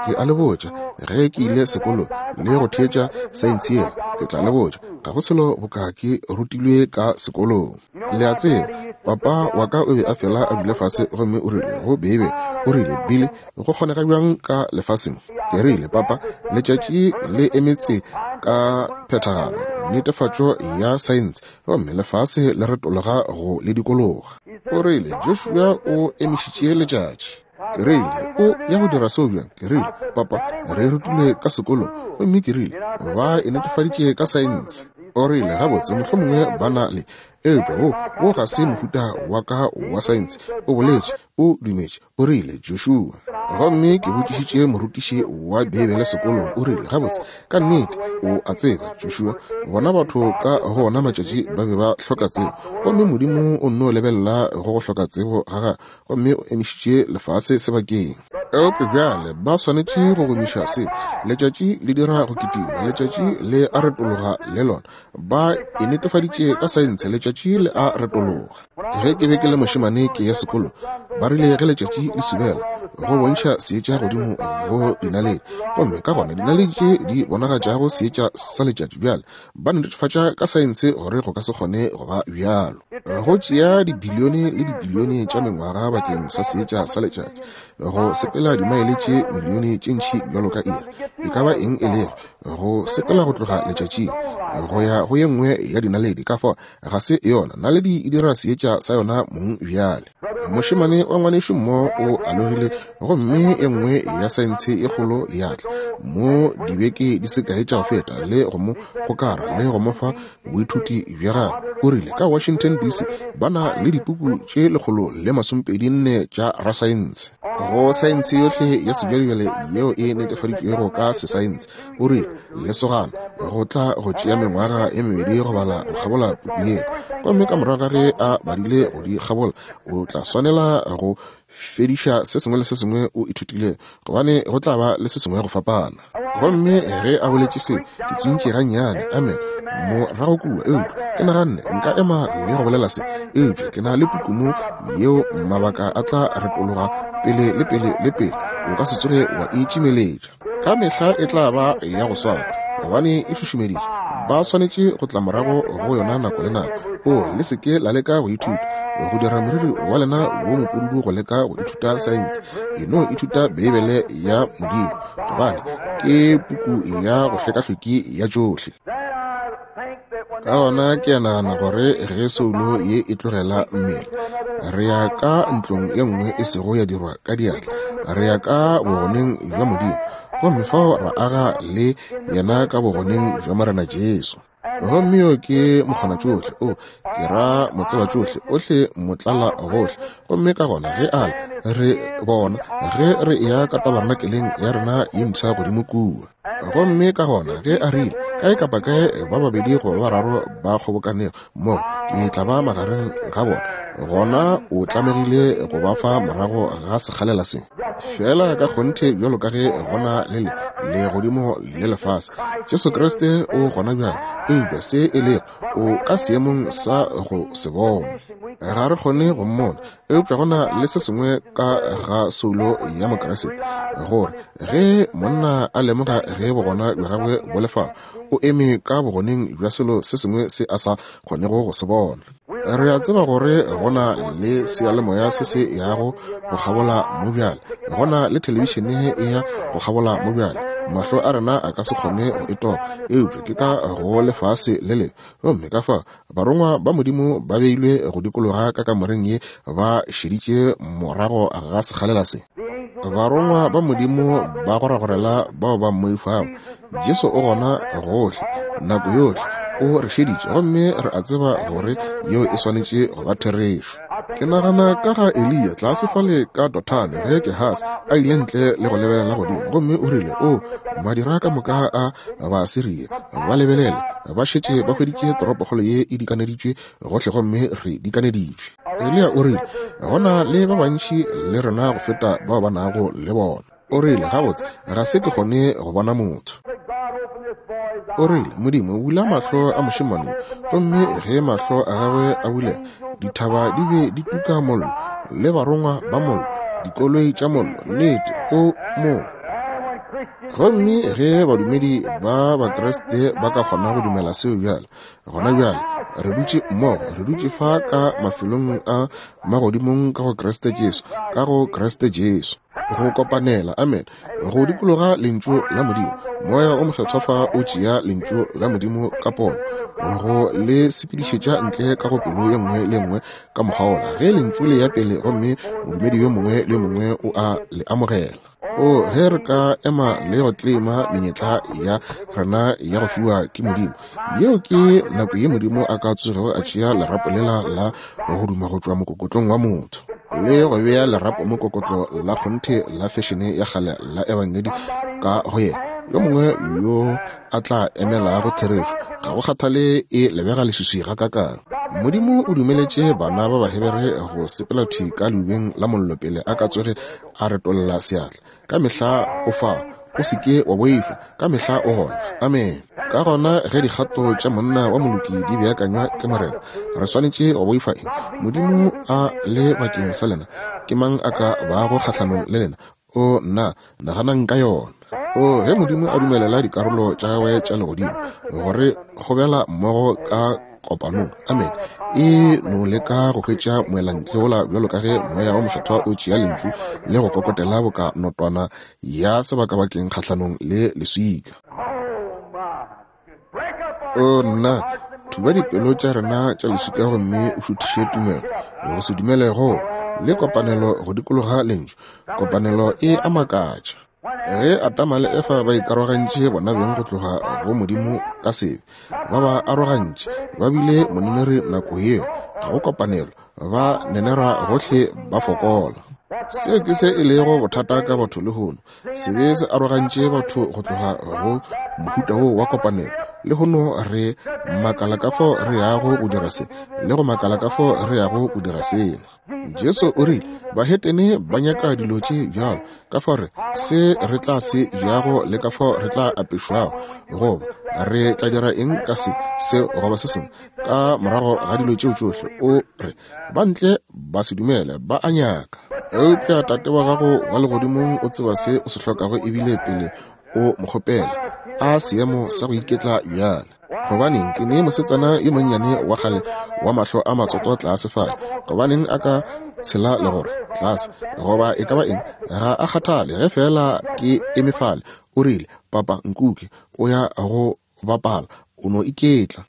Ke a le botša, ge ke ile sekolong le go theetša saense yela, ke tla le botša, ga go selo boka ke rutilwe ka sekolong. Le a tseba, papa wa ka o be a fela a dula fase gomme o rile go Bebe, o rile, Billy, go kgonega bjang ka lefaseng? Ke rile, papa, letšatši le emetse ka phethagalo, netefatšo ya saense, gomme lefase le retologa go le dikologa. O rile, Joshua o emišitše letšatši. Ke rile, o ya go dira seo bjang? Ke rile, papa, re rutilwe ka sekolong, gomme ke rile, ba e netefaditše ka saense. O rile, gabotse, mohlomongwe ba na le, eupša wo, wo ga se mohuta wa ka wa saense. O boletše, o dumetše, o rile, Joshua. Gomme ke botšišitše morutiši wa Beibele sekolong, o rile, gabotse, ka nnete, o a tseba, Joshua, bona batho ka go ona matšatši ba be ba hloka tsebo, gomme Modimo o nno lebelela go go hloka tsebo ga gagwe, gomme o emišitše lefase sebakeng. Eupša bjale ba swanetše go gomiša se. Letšatši le dira go kitima, letšatši le a retologa le lona. Ba e netefaditše ka saense, letšatši le a retologa. Ge ke be ke le mošemane ke ya sekolo, ba rile ge letšatši le subela, go bontšha seetša godimo go dinaledi, gomme ka gona dinaledi tše di bonagatšago seetša sa letšatši. Bjale ba netefatša ka saense gore go ka se kgone go ba bjalo. Go tšea dibilione le dibilione tša mengwaga bakeng sa seetša sa letšatši go sepela dimaele tše milione tše ntši bjalo ka iri, e ka ba eng e lego, go sepela go tloga letšatšing go ya go ye nngwe ya dinaledi. Ka fao ga se yona naledi e dira seetša sa yona mong bjale. Mošemane wa ngwanešu mo o alogile, gomme e nngwe ya saense e kgolo ya tla mo dibeke di se kae tša go feta le go mo gokara le go mo fa boithuti bja gagwe. O rile ka Washington D C ba na le dipuku tše lekgolo le masomepedi nne tša rasaense go saense yohle ya sebjalebjale yeo e netefaditšwego ka sesaense. O rile lesogana go tla go tšea mengwaga e mebedi go bala go kgabola puku yeo, gomme ka morago ga ge a badile go di kgabola o tla swanela go fediša se sengwe le se sengwe o ithutile, gobane go tla ba le se sengwe go fapana. Gomme ge a boletše seo, ke tsuntše gannyane, amen, morago kua. Eupša ke naganne nka ema le go bolela se, eupša ke na le puku mo yeo mabaka a tla retologa pele le pele le pele, o ka se tsoge wa itšimeletša. Ka mehla e tla ba ya go swana, gobane e šušumeditše. Ba swanetše go tla morago go yona nako le nako. O le seke la leka go ithuta go dira moriri wa lena wo mopududu go leka go ithuta saense. E no ithuta Beibele ya Modimo, gobane ke puku ya go hlekahleki ya tšohle. Ka gona ke a nagana gore ge soulo ye e tlogela mmele, re ya ka ntlong ye nngwe e sego ya dirwa ka diatla, re ya ka bogoneng bja Modimo, gomme fao ra aga le yena ka bogoneng bja Morena Jesu. Gomme yo ke mokgona tšohle, o ke ra motseba tšohle, ohle motlala gohle. Gomme ka gona ge a re bona ge re eya ka tabernakeleng ya rena ye mpsha godimo kua. Gomme ka gona ge a rile kae kapa kae ba babedi goba ba bararo ba kgobokanego mmogo, ke tla ba magareng ga bona, gona o tlamegile go ba fa morago ga sekgalela se. Fela ka kgonthe bjalo ka ge gona le le legodimo le lefase, Jesu Kriste o gona bjale, eupša se e lego o ka seemong sa go se bona. Ga re kgone go mmona, eupša gona le se sengwe ka ga soulo ya Mokriste, gore ge monna a lemoga ge bogona bja gagwe bo le fao, o eme ka bogoneng bja selo se sengwe se a sa kgonego go se bona. Re a tseba gore gona le seyalemoya se se yago go kgabola mo bjale, gona le thelebišene e ya go kgabola mo bjale. Mahlo a rena a ka se kgone go e topa, eupša ke ka go lefase le lengwe. Gomme ka fa barongwa ba Modimo ba beilwe go dikologa ka kamoreng ye, ba šeditše morago ga sekgalela se. Barongwa ba Modimo ba goragorela bao ba mmoifago. Jesu o gona gohle nako yohle, o re šeditše, gomme re a tseba gore yeo e swanetše go ba therešo. Ke nagana ka ga Eliya tlase fale ka Dothane ge Gehasi a ile ntle le go lebelela godimo, gomme o rile, o madira ka moka a Baasiria ba lebelele, ba šetše ba hweditše toropokgolo ye e dikaneditšwe gohle, gomme re dikaneditšwe. Eliya o rile, gona le ba bantši le rena go feta bao ba nago le bona. O rile, gabotse ga se ke kgone go bona motho. O rile, Modimo bula mahlo a mošemane, gomme ge mahlo a gagwe a bulega, dithaba di be di tuka mollo, le barongwa ba mollo, dikoloi tša mollo, nnete o mo. Gomme ge badumedi ba Bakriste ba ka kgona go dumela seo bjale, gona bjale re dutše mmogo, re dutše fa ka mafelong a magodimong ka go Kriste Jesu, ka go Kriste Jesu, go kopanela, amen, go dikologa lentšu la Modimo. Moya o Mokgethwa fa o tšea lentšu la Modimo ka pono, go le sepedišetša ntle ka go pelo ye nngwe le nngwe ka mokgwa wola, ge lentšu le ya pele, gomme modumedi yo mongwe le yo mongwe o a le amogela. O ge re ka ema le go tlema menyetla ya rena ya go fiwa ke Modimo, yeo ke nako ye Modimo a ka tsogego a tšea lerapo lela la go duma go tšwa mokokotlong wa motho, le go bea lerapo mokokotlo la kgonthe la fešene ya kgale la ebangedi ka go yena, yo mongwe yo a tla emelago therešo, ga go kgathale e lebega leswiswi gakakang. Modimo o dumeletše bana ba Bahebere go sepela thwi ka leubeng la mollo pele a ka tsoge a retolla seatla. Ka mehla o fa, o se ke wa boifa, ka mehla o gona. Amen. Ka gona ge dikgato tša monna wa moloki di beakanywa ke Morena, re swanetše go boifa eng? Modimo a le bakeng sa lena, ke mang a ka bago kgahlanong le lena? O nna, naganang ka yona. O ge Modimo a dumelela dikarolo tša gagwe tša legodimo gore kgobela mmogo ka kopanong, amen, e no leka go hwetša moelantle wola bjalo ka ge moya wa mokgethwa o tšea lentšu le go kokotela boka notwana ya sebakabakeng kgahlanong le leswika. O nna, thuba dipelo tša rena tša leswika gomme o šuthiše tumelo go se dumele go le kopanelo go dikologa lentšu. Kopanelo e a makatša. Ge Adama le Efa ba ikarogantše bona beng go tloga go Modimo ka sebe, ba ba arogantše, ba bile moneneri nako yeo, ga go kopanelo, ba nenera gohle ba fokola. Seo ke se e lego bothata ka batho lehono. Sebe se arogantše batho go tloga go mohuta wo wa kopanelo. Lehono re makala ka fao re yago go dira se, le go makala ka fao re yago go dira sela. Jesu o rile, bahetene ba nyaka dilo tše bjalo, ka fao re se re tla se jago le ka fao re tla apešwago, goba re tla dira eng ka se, seo goba se sengwe. Ka morago ga dilo tšeo tšohle, o re ba ntle ba se dumele, ba a nyaka. Eupša Tate wa gago wa legodimong o tseba se o se hlokago ebile pele o mo kgopela. A seemo sa go iketla bjale. Gobaneng ke ne mosetsana yo monnyane wa kgale wa mahlo a matsoto tlase fale, gobaneng a ka tshela legora tlase goba e ka ba eng, ga a kgathale ge fela ke eme fale. O rile, papa nkuke o ya go bapala, o no iketla.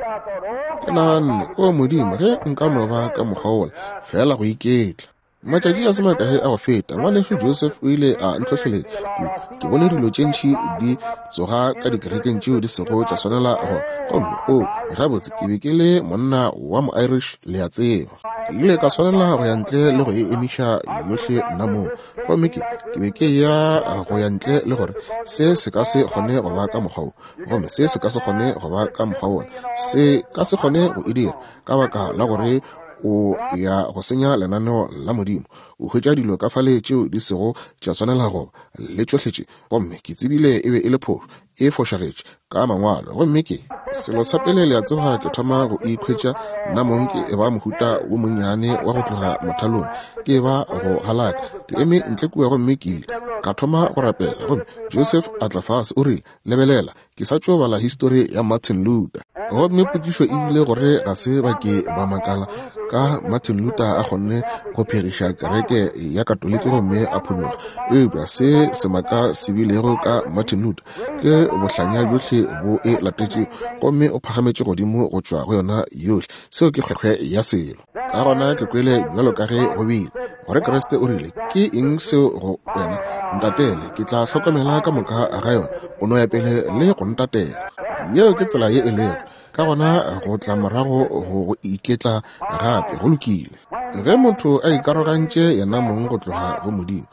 Ke naganne, o Modimo, ge nka no ba ka mokgwa wola, fela go iketla. Matšatši a se makae a go feta, ngwanešu Joseph o ile a ntlhohleletša kudu. Ke bone dilo tše ntši di tsoga ka dikerekeng tšeo di sego tša swanela go. Gomme o gabotse ke be ke le monna wa mo-Irish, le a tseba. Ke ile ka swanela go ya ntle le go e emiša yohle nna moo. Gomme ke ke be ke ya go ya ntle le gore se se ka se kgone go ba ka mokgwa wo, gomme se se ka se kgone go ba ka mokgwa wola, se ka se kgone go e dira ka baka la gore o ya go senya lenaneo la Modimo. O hwetša dilo ka fale tšeo di sego tša swanela go le tšohle tše. Gomme ke tsebile e be e le phošo, e fošagetše ka mangwalo. Gomme ke selo sa pele le a tseba, ke thoma go ikhwetša nna mong ke e ba mohuta wo monnyane wa go tloga mothalong, ke ba go galaka. Ke eme ntle kua gomme ke ile ka thoma go rapela. Gomme Joseph a tla fase, o rile, lebelela, ke sa tšo bala histori ya Martin Luther. Gomme potšišo e bile gore ga se ba ke ba makala ka Martin Luther a kgonne go phegiša kereke ya Katoliki gomme a phonyokga. Eupša se semaka se bilego ka Martin Luther ke bohlanya bjohle bo e latetše, gomme o phagametše godimo go tšwa go yona yohle. Seo ke kgwekgwe ya selo. Ka gona ke kwele bjalo ka ge go bile gore Kriste o rile, ke eng seo go wena? Ntatele, ke tla hlokomela ka moka ga yona. O no ya pele le go ntatela. Yeo ke tsela ye e lego. Ka gona go tla morago go iketla gape, go lokile. Ge motho a ikarogantše yena mong go tloga go Modimo,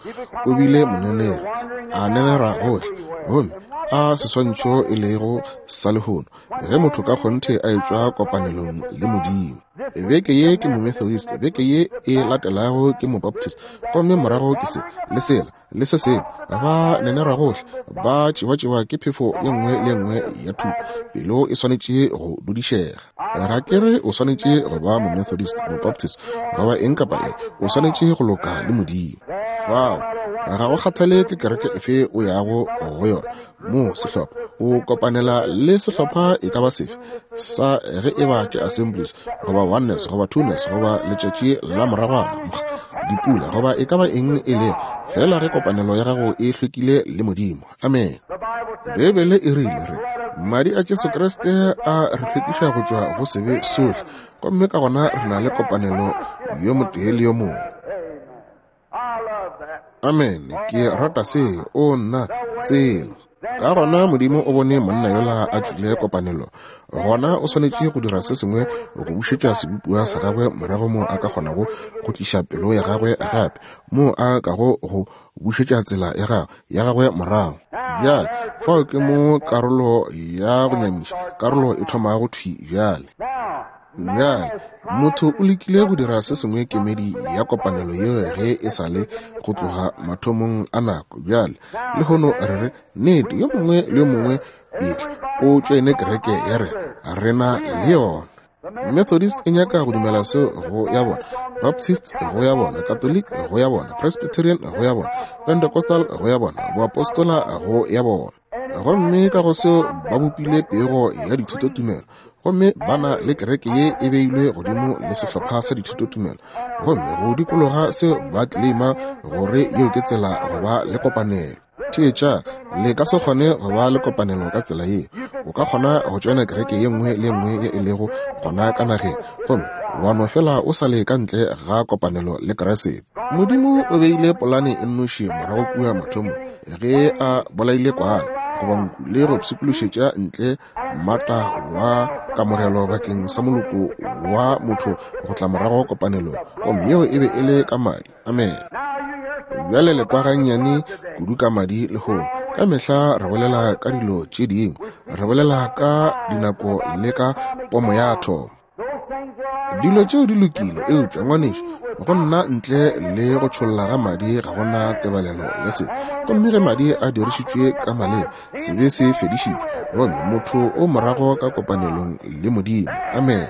o bile moneneri, a nenera gohle, gomme a seswantšho e lego sa lehono, ge motho ka kgonthe a etšwa kopanelong le Modimo. Beke ye ke mo-Methodist, beke ye e latelago ke mo-Baptist, gomme morago ke se le sela le se sengwe. Ba nenera gohle, ba tšewa-tšewa ke phefo ye nngwe le nngwe ya thuto. Pelo e swanetše go dudišega. Ga ke re o swanetše go ba mo-Methodist, mo-Baptist goba eng kapa eng, o swanetše go loka le Modimo. Fao ga go kgathale ke kereke efe o yago go yona, mo sehlopha o kopanela le sehlopha e ka ba sefe sa ge e ba ke Assemblies goba Oneness goba Twoness goba letšatši la moragwana, dipula goba e ka ba eng e lego, fela ge kopanelo ya gago e hlwekile le Modimo. Amen. Beibele e rile re madi a Jesu Kriste a re hlwekiša go tšwa go sebe sohle, gomme ka gona re na le kopanelo yo motee le yo mongwe. Amen. Ke rata se. O nna tsela. Ka gona Modimo o bone monna yola a tšwile kopanelo, gona o swanetše go dira se sengwe go bušetša sebopiwa sa gagwe morago mo a ka kgonago go tliša pelo ya gagwe gape, mo a kago go bušetša tsela ya gagwe ya gagwe morago. Bjale fao ke mo karolo ya go nyamiša karolo e thomago thwi bjale. Bjale, motho o lekile go dira se sengwe kemedi ya kopanelo yeo ge e sa le go tloga mathomong a nako. Bjale, lehono re re, nnete, yo mongwe le yo mongwe etla o tšoene kereke ya rena, re na le yona. Methodist e nyaka go dumela seo go ya bona, Baptist go ya bona, Catholic go ya bona, Presbyterian go ya bona, Pentecostal go ya bona, Boapostola go ya bona. Gomme ka go seo ba bopile pego ya dithutotumelo, gomme ba na le kereke ye e beilwe godimo le sehlopha sa dithutotumelo, gomme go dikologa seo ba claima gore yeo ke tsela go ba le kopanelo. Theetša, le ka se kgone go ba le kopanelo ka tsela ye. O ka kgona go tšoena kereke ye nngwe le nngwe ye e lego gona ka nageng, gomme wa no fela o sa le ka ntle ga kopanelo le Kriste. Modimo o beile polane e nnoši morago kua mathomong ge a bolaile kwana goba nku le go pshikološetša ntle mmata wa kamogelo bakeng sa moloko wa motho go tla morago kopanelong, gomme yeo e be e le ka madi. Amen. Bjale le kwa gannyane kudu ka madi lehono. Ka mehla re bolela ka dilo tše dingwe, re bolela ka dinako le ka pomo ya athomo. Dilo tšeo di lokile, eupša ngwanešu, go nna ntle le go tšholla ga madi ga gona tebalelo ya sebe. Gomme ge madi a dirišitšwe ka maleba, sebe se fedišitšwe, gomme motho o morago ka kopanelong le Modimo. Amen.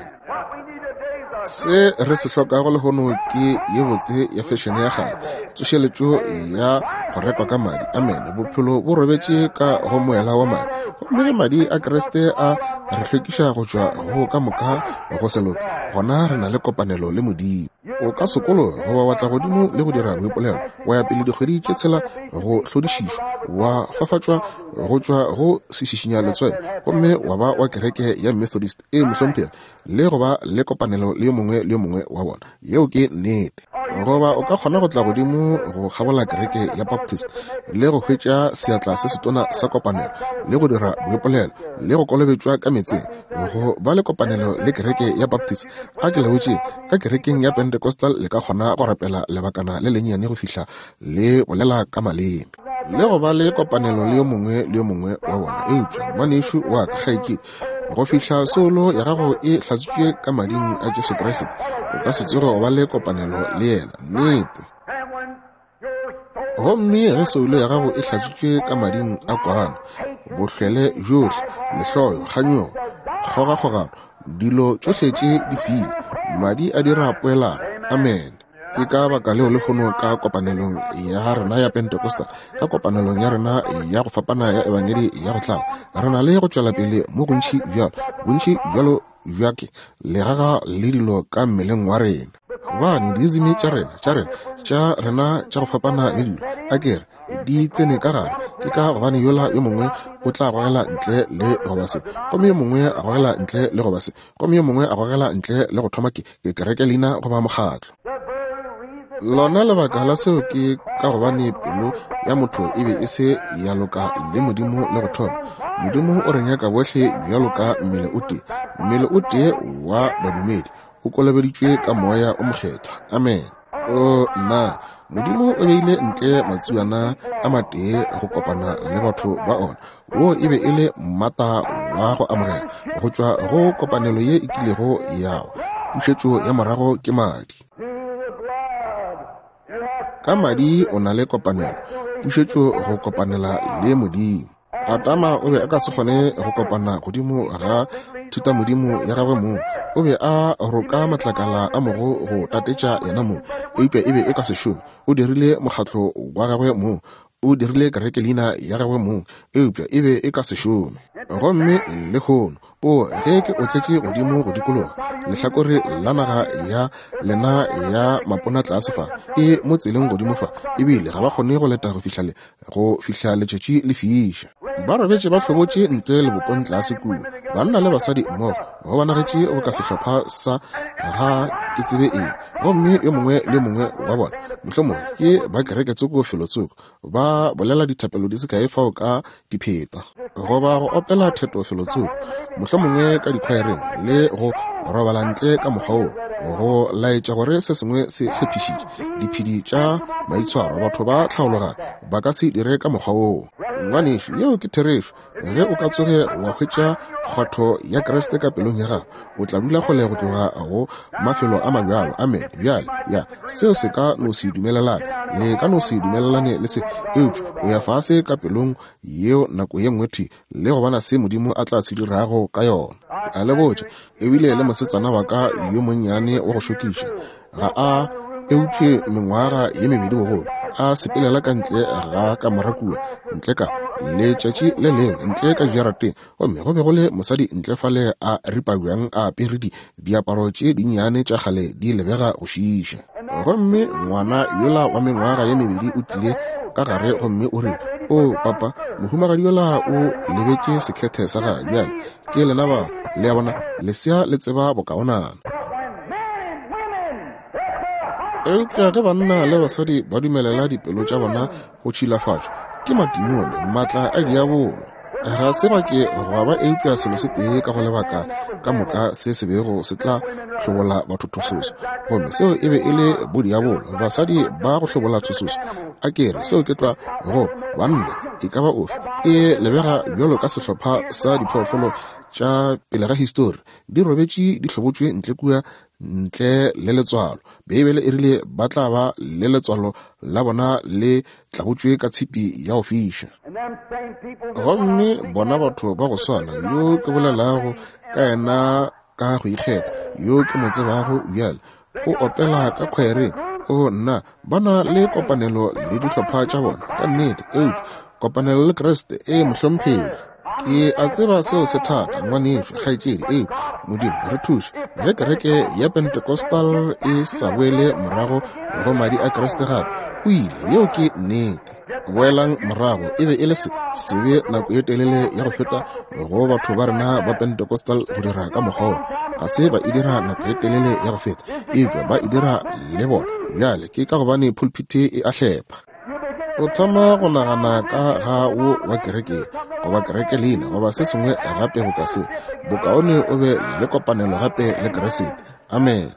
Se re se hlokago lehono ke ye botse ya fešene ya kgale, tsošeletšo ya go rekwa ka madi. Amen. Bophelo bo robetše ka go moela wa madi, gomme ge madi a Kriste a re hlwekiša go tšwa go ka moka go se loke, gona re na le kopanelo le Modimo. O ka sokologa goba wa tla godimo le go dira boipolelo, wa ya pele dikgwedi tše tshela go hlodišišwa, wa fafatšwa go tšwa go sešišinya letswai, gomme wa ba wa kereke ya Methodist e mohlomphegi le go ba le kopanelo le yo mongwe le yo mongwe wa bona. Yeo ke nnete. Goba o ka kgona go tla godimo go kgabola kereke ya Baptist le go hwetša seatla se setona sa kopanelo le go dira boipolelo le go kolobetšwa ka meetseng, go ba le kopanelo le kereke ya Baptist. A ke le botše, ka kerekeng ya Pentecostal le ka kgona go rapela lebakana le lennyane go fihla le bolela ka maleme le go ba le kopanelo le yo mongwe le yo mongwe wa bona. Eupša ngwanešu wa ka, kgaetšedi, go fihla soulo ya gago e hlatswitšwe ka mading a Jesu Kriste, o ka se tsoge go ba le kopanelo le yena. Nnete. Gomme ge soulo ya gago e hlatswitšwe ka mading a kwana, bohlwele bjohle, lehloyo, kganyogo, kgogakgogano, dilo tšohle tše di hwile, madi a dira poelano. Amen. Ke ka baka leo lehono ka kopanelong ya rena ya Pentecostal, ka kopanelong ya rena ya go fapana ya ebangedi ya go tlala, re na le go tšwela pele mo gontši bjalo, bontši bjalo bjake legaga le dilo ka mmeleng wa rena. Gobane diizimi tša rena tša rena tša rena tša go fapana le dilo, a ke re di tsene ka gare, ke ka gobane yola yo mongwe o tla gogela ntle le goba se, gomme yo mongwe a gogela ntle le goba se, gomme yo mongwe a gogela ntle le go thoma ke ke kereke leina goba mokgatlo. Lona lebaka la seo ke ka gobane pelo ya motho e be e se ya loka le Modimo le go thoma. Modimo o re nyaka bohle bjalo ka mmele o tee, mmele o tee wa badumedi, o kolobeditšwe ka moya o mokgethwa. Amen. O nna, Modimo o beile ntle matsuana a matee go kopana le batho ba ona. Wo e be e le mmata wa go amogela go tšwa go kopanelo ye e kilego ya wa. Pušetšo ya morago ke madi. Ka madi o na le kopanelo, pušetšo go kopanela le Modimo. Adama o be a ka se kgone go kopana godimo ga thutamodimo ya gagwe mong. O be a roka matlakala a mogo go tatetša yena mong, eupša e be e ka se šome. O dirile mokgatlo wa gagwe mong, o dirile kereke leina ya gagwe mong, eupša e be e ka se šome. Gomme lehono, o ge ke otletše godimo go dikologa lehlakore la naga ya lena ya mapona tlase fa, e mo tseleng godimo fa, ebile ga ba kgone go leta go fihla le go fihla letšatši le fiša. Ba robetše ba hlobotše ntle lebopong tlase kua, banna le basadi mmogo, go bonagetše go ka sehlopha sa ga ke tsebe eng, gomme yo mongwe le yo mongwe wa bona mohlomongwe ke ba kereke tsoko felotsoko, ba bolela dithapelo di se kae fao ka dipheta, goba go opela theto felotsoko, mohlomongwe ka dikhwaereng, le go robala ntle ka mokgwa wo, go laetša gore se sengwe se hlephišitše. Diphedi tša maitshwaro, batho ba tlhaologanyo ba ka se dire ka mokgwa woo. Ngwanešu, yeo ke therešo. Ge o ka tsoge wa hwetša kgwatho ya Kriste ka pelong ya gago, o tla dula kgole go tloga go mafelo a mabjalo. Amen. Bjale, ya, seo se ka no se dumelelane, le ka no se dumelelane le se, eupša o ya fase ka pelong yeo nako ye nngwe thwi le go bona se Modimo a tla se dirago ka yona. A le botša, ebile le mosetsana wa ka yo monnyane wa go šokiša, ga a eupše mengwaga ye mebedi bogolo, a sepelela ka ntle ga kamora kua, ntle ka letšatši le lengwe, ntle ka jarateng, gomme go be go le mosadi ntle fale a ripa bjang a apere di diaparo tše dinnyane tša kgale di lebega go šiiša. Gomme ngwana yola wa mengwaga ye mebedi o tlile ka gare gomme o re, o papa, mohumagadi yola o lebetše sekhethe sa gagwe. Bjale ke lena bao, le a bona, lesea le tseba bokaonana. Eupša ge banna le basadi ba dumelela dipelo tša bona go tšhilafatšwa ke matimone, maatla a diabolo, ga se ba ke gwa ba eupša selo se tee ka go lebaka ka moka se se bego se tla hlobola batho thososo, gomme seo e be e le bodiabolo, basadi ba go hlobola thososo. A ke re seo ke tla go banna e ka ba ofe, e lebega bjalo ka sehlopha sa diphoofolo tša pele ga histori, di robetše di hlobotšwe ntle kua ntle le letswalo. Beibele e rile ba tla ba le letswalo la bona le tlabotšwe ka tshipi ya go fiša. Gomme bona batho ba go swana yo ke bolelago ka yena ka go ikgetha, yo ke mo tsebago bjale, o opela ka khwaereng, o nna, ba na le kopanelo le dihlopha tša bona ka nnete, eupša kopanelo le Kriste e mohlomphegi. Ke a tseba seo se thata, ngwanešu, kgaetšedi, eupša Modimo re thuše ge kereke ya Pentecostal e sa boele morago go madi a Kriste gape. O ile, yeo ke nnete. Boelang morago, e be e le se sebe nako ye telele ya go feta go batho ba rena ba Pentecostal go dira ka mokgwa. Ga se ba e dira nako ye telele ya go feta, eupša ba e dira le bona bjale. Ke ka gobane pulpite e a hlepha. O thoma go nagana ka ga wo wa kereke goba kereke leina goba se sengwe gape boka se, bokaone o be le kopanelo gape le Kriste. Amen.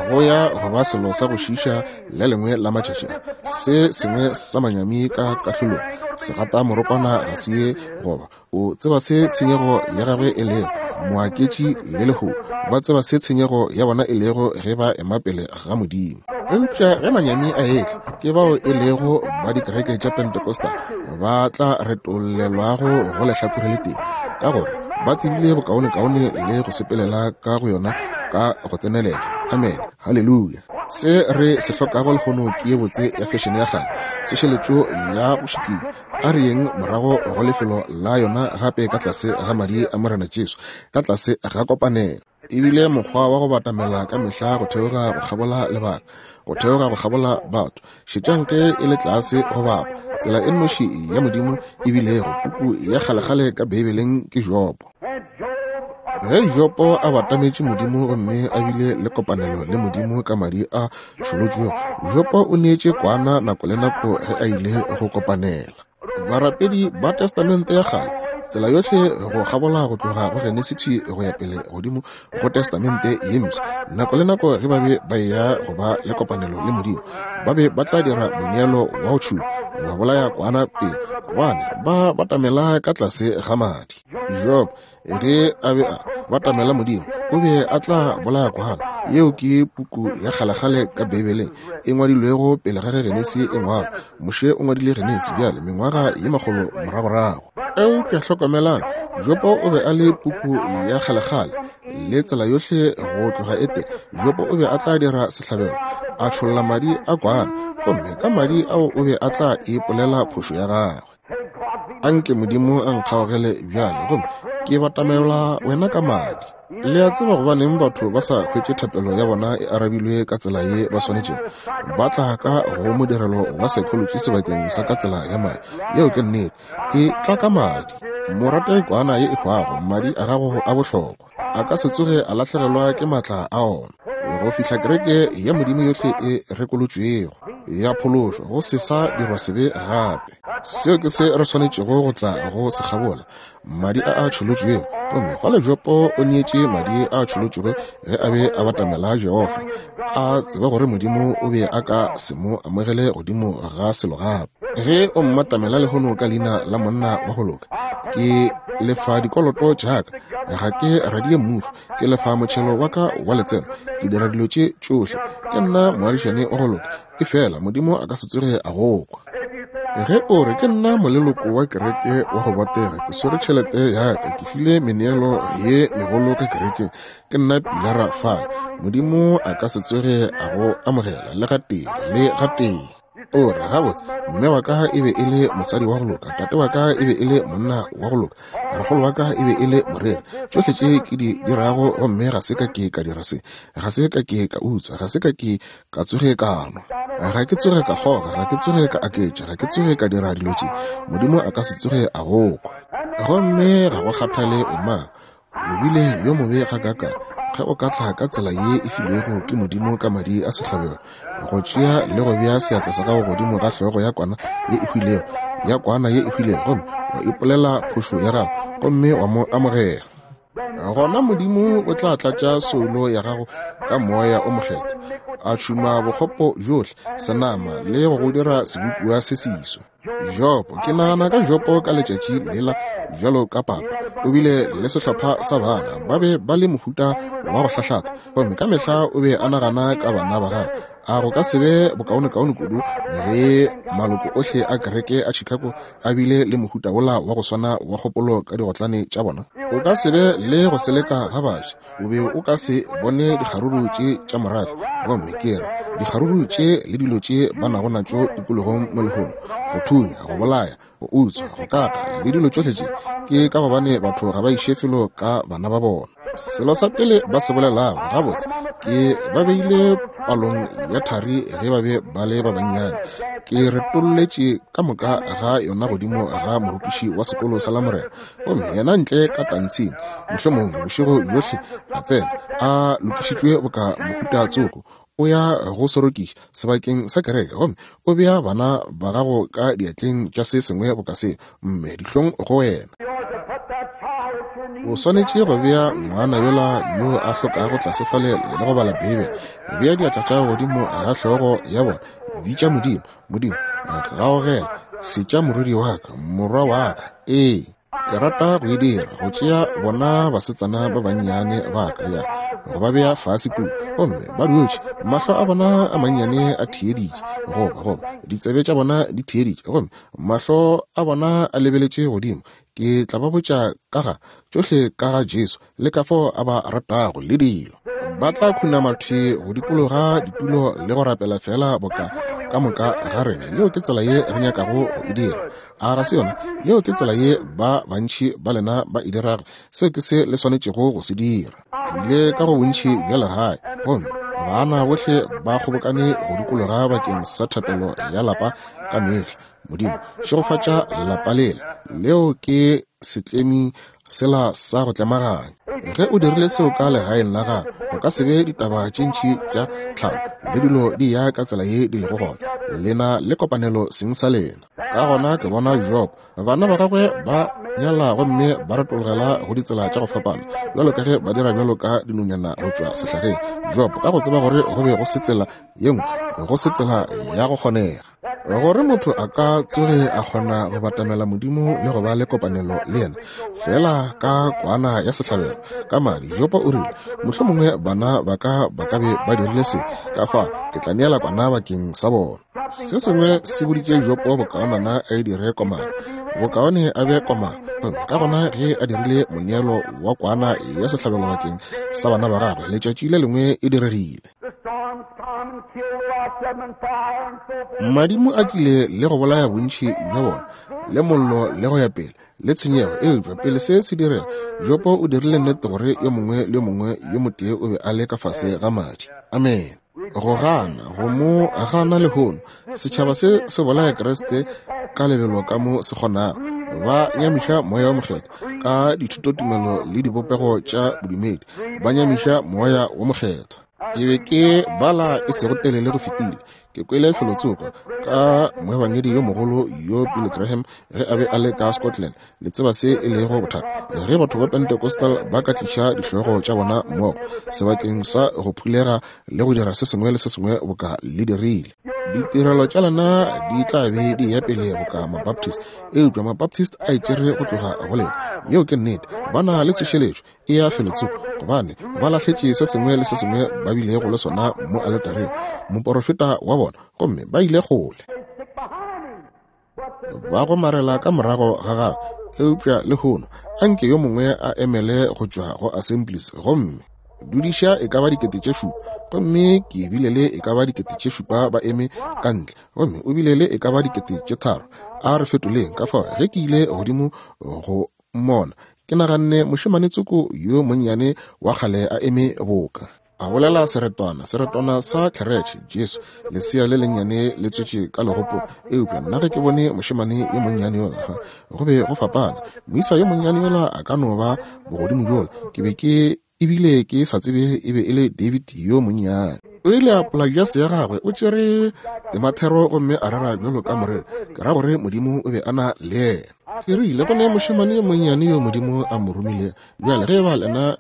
Go ya go ba selo sa go šiiša le lengwe la matšatši, se sengwe sa manyami ka kahlolong, segata morokwana ga se ye goba o tseba se tshenyego ya gagwe e lego, moaketši le lehu ba tseba se tshenyego ya bona e lego ge ba ema pele ga Modimo. Eupša ge manyami a etla, ke bao e lego ba dikereke tša Pentecostal ba tla retollelwago go lehlakore le tee, ka gore ba tsebile bokaonekaone le go sepelela ka go yona ka go tsenelela. Amen. Haleluya. Se re se hlokago lehono ke ye botse ya fešene ya kgale, tsošeletšo ya go šikinya. A re yeng morago go lefelo la yona gape ka tlase ga madi a Morena Jesu, ka tlase ga kopanelo. Ebile mokgwa wa go batamela ka mehla go theoga go kgabola lebaka, go theoga go kgabola batho. Šetšang ge e le tlase go bapa, tsela e nnoši ya Modimo ebilego puku ya kgalekgale ka Beibeleng ke Jobo. Ge Jobo a batametše Modimo gomme a bile le kopanelo le Modimo ka madi a tšholotšwego, Jobo o neetše kwana nako le nako ge a ile go kopanela. Barapedi ba Testamente ya kgale, tsela yohle go kgabola go tloga go Genesisi go ya pele godimo go Testamente ye mpsha, nako le nako ge ba be ba eya go ba le kopanelo le Modimo, ba be ba tla dira moneelo wa go tšhuma, ba bolaya kwana pele, gobane ba batamela ka tlase ga madi. Job ge a be a batamela Modimo, o be a tla bolaya kwana. Yeo ke puku ya kgalekgale ka Beibeleng e ngwadilwego pele ga ge Genesi e ngwalwa. Moshe o ngwadile Genesi bjale mengwaga ye makgolo moragorago. Eupša hlokomelang, Jobo o be a le puku ya kgalekgale le tsela yohle go tloga ete. Jobo o be a tla dira sehlabelo, a tšholla madi a kwana, gomme ka madi ao o be a tla ipolela phošo ya gagwe. Anke Modimo a nkgaogele bjale, gomme ke batamela wena ka madi. Le a tseba gobaneng batho ba sa hwetše thapelo ya bona e arabilwe ka tsela ye ba swanetšego? Ba tla ka go modirelo wa psychology sebakeng sa ka tsela ya madi. Yeo ke nnete, e tla ka madi. Morate kwana ye e hwago, madi a gago a bohlokwa, a ka se tsoge a lahlegelwa ke maatla a ona go fihla kereke ya Modimo yohle e rekolotšwego ya phološo, go se sa dirwa sebe gape. Seo ke se re swanetšego go tla go se kgabola, madi a a tšholotšwego. Gomme fale Jobo o neetše madi a tšholotšwego ge a be a batamela Jehofa, a tseba gore Modimo o be a ka se mo amogele godimo ga selo gape. Ge o mmatamela lehono ka leina la monna wa go loka, ke lefa dikoloto tša ka, ga ke radie mmušo, ke lefa motšhelo wa ka wa letseno, ke dira dilo tše tšohle, ke nna moagišane wa go loka, efela Modimo a ka se tsoge a go kwa. Ge o re ke nna moleloko wa kereke wa go botega, ke swere tšhelete ya ka, ke file meneelo ye megolo ka kerekeng, ke nna pilara fale, Modimo a ka se tsoge a go amogela le gatee le gatee. O re gabotse, mme wa ka e be e le mosadi wa go loka, tate wa ka e be e le monna wa go loka, rakgolo wa ka e be e le moreri. Tšohle tše ke di dirago, gomme ga se ka ke ka dira se, ga se ka ke ka utswa, ga se ka ke ka tsoge ka nwa, ga ke tsoge ka kgoga, ga ke tsoge ka aketša, ga ke tsoge ka dira dilo tše, Modimo a ka se tsoge a go kwa. Gomme ga go kgathale o mang, o bile yo mobe gakaakang, ge o ka tla ka tsela ye e filwego ke Modimo ka madi a sehlabelo, go tšea le go bea seatla sa gago godimo ga hlogo ya kwana ye e hwilego, ya kwana ye e hwilego, gomme wa ipolela phošo ya gago, gomme wa mo amogela, gona Modimo o tla tlatša soulo ya gago ka moya o mokgethwa, a tšhuma bokgopo bjohle senama le go go dira sebopiwa se seswa. Jopo, ke nagana ka Jopo ka letšatši lela bjalo ka papa, o bile le sehlopha sa bana, ba be ba le mohuta wa go hlahlata, gomme ka mehla o be a nagana ka bana ba gagwe. A go ka se be bokaonekaone kudu ge maloko ohle a kereke a Chicago a bile le mohuta wola wa go swana wa kgopolo ka digotlane tša bona? O ka se be le go seleka ga baswa, o be o ka se bone dikgaruru tše tša morafe, gomme ke re dikgaruru tše le dilo tše ba nago natšo tikologong mo lehono, go thunya, go bolaya, go utswa, go kata le dilo tšohle tše, ke ka gobane batho ga ba iše felo ka bana ba bona. Selo sa pele ba se bolelago gabotse ke ba beile palong ya thari ge ba be ba le ba bannyane. Ke retolletše ka moka ga yona godimo ga morutiši wa sekolo sa Lamorena, gomme yena ntle ka tantshing, mohlomongwe bošego bjohle a tsena a lokišitšwe boka mohuta tsoko, o ya go sorokiša sebakeng sa kereke, gomme o bea bana ba gago ka diatleng tša se sengwe boka seo, mme dihlong go wena. O swanetše go bea ngwana yola yo a hlokago tlase fale le go bala Beibele, bea diatla tša godimo ga hlogo ya bona, bitša Modimo, Modimo, gaogela, setša morwedi wa ka, morwa wa ka. Ee, ke rata go e dira, go tšea bona basetsana ba bannyane ba ka ya go ba bea fase kua, gomme ba dutše, mahlo a bona a mannyane a theeditše, goba goba ditsebe tša bona di theeditše, gomme mahlo a bona a lebeletše godimo. Ke tla ba botša ka ga tšohle ka ga Jesu le ka fao a ba ratago le dilo. Ba tla khunama thwi go dikologa ditulo le go rapela fela boka ka moka ga rena. Yeo ke tsela ye re nyakago go e dira. A ga se yona? Yeo ke tsela ye ba bantši ba lena ba e dirago. Seo ke se le swanetšego go se dira. Ke ile ka go bontši bja legae, gomme bana bohle ba kgobokane go dikologa bakeng sa thapelo ya lapa ka mehla. Modimo, šegofatša lapa lela. Leo ke setlemi sela sa go tlemaganya. Ge o dirile seo ka legaeng la gago, go ka se be ditaba tše ntši tša tlhalo le dilo di ya ka tsela ye di lego gona. Lena le kopanelo seng sa lena. Ka gona ke bona Job, bana ba gagwe ba nyala gomme ba retologela go ditsela tša go fapana, bjalo ka ge ba dira bjalo ka dinonyana go tšwa sehlageng. Job ka go tseba gore go be go se tsela ye nngwe, go se tsela ya go kgonega gore motho a ka tsoge a kgona go batamela Modimo le go ba le kopanelo le yena fela ka kwana ya sehlabelo ka madi. Jopo o rile, mohlomongwe bana ba ka ba ka be ba dirile se, ka fa ke tla neela kwana bakeng sa bona. Se sengwe se boditše Jopo bokaonana a e dire komana, bokaone a be komana. Ka gona ge a dirile moneelo wa kwana ya sehlabelo bakeng sa bana ba gagwe, letšatši le lengwe e diregile. Madimo a tlile le go bolaya bontši bja bona, le mollo le go ya pele, le tshenyego. Eupša pele se se direga, Jopo o dirile nnete gore yo mongwe le yo mongwe yo motee o be a le ka fase ga madi. Amen. Go gana, go mo gana lehono. Setšhaba se se bolaya Kriste ka lebelo ka mo se kgonago. Ba nyamiša moya wa mokgethwa ka dithutotumelo le dibopego tša bodumedi. Ba nyamiša moya wa mokgethwa. Ke be ke bala e sego telele go fetile, ke kwele felotsoko ka moebangedi yo mogolo yo Billy Graham ge a be a le ka Scotland. Le tseba se e lego bothata ge batho ba Pentecostal ba ka tliša dihlogo tša bona mmogo sebakeng sa go phulega le go dira se sengwe le se sengwe boka le dirile. Ditirelo tša lena di tla be di ya pele boka Mabaptist, eupša Mabaptist a itšere go tloga go lena. Yeo ke nnete. Ba na le tsošeletšo e ya felotsoko, gobane ba lahletše se sengwe le se sengwe ba bilego le sona mo aletareng, moporofeta wa bona, gomme ba ile kgole. Ba gomarela ka morago ga gagwe. Eupša lehono anke yo mongwe a emele go tšwa go Assemblies gomme dudiša e ka ba dikete tše šupa, gomme ke bile le e ka ba dikete tše šupa ba eme ka ntle, gomme o bile le e ka ba dikete tše tharo. A re fetoleng. Ka fao ge ke ile godimo go mmona, ke naganne mošemane tsoko yo monnyane wa kgale a eme boka a bolela seretwana, seretwana sa keretšhe, Jesu, lesea le lennyane le tswetše ka legopong. Eupša nna ge ke bone mošemane yo monnyane yola, go be go fapana. Moisa yo monnyane yola a ka no ba bogodimo bjola, ke be ke ebile ke sa tsebe e be e le David yo monnyane. O ile a pola jase ya gagwe, o tšere temathero gomme a rera bjalo ka morero. Ke ra gore Modimo o be a na le yena. Ke rile go ne mošemane yo monnyane yo Modimo a mo romile. Bjale ge ba lena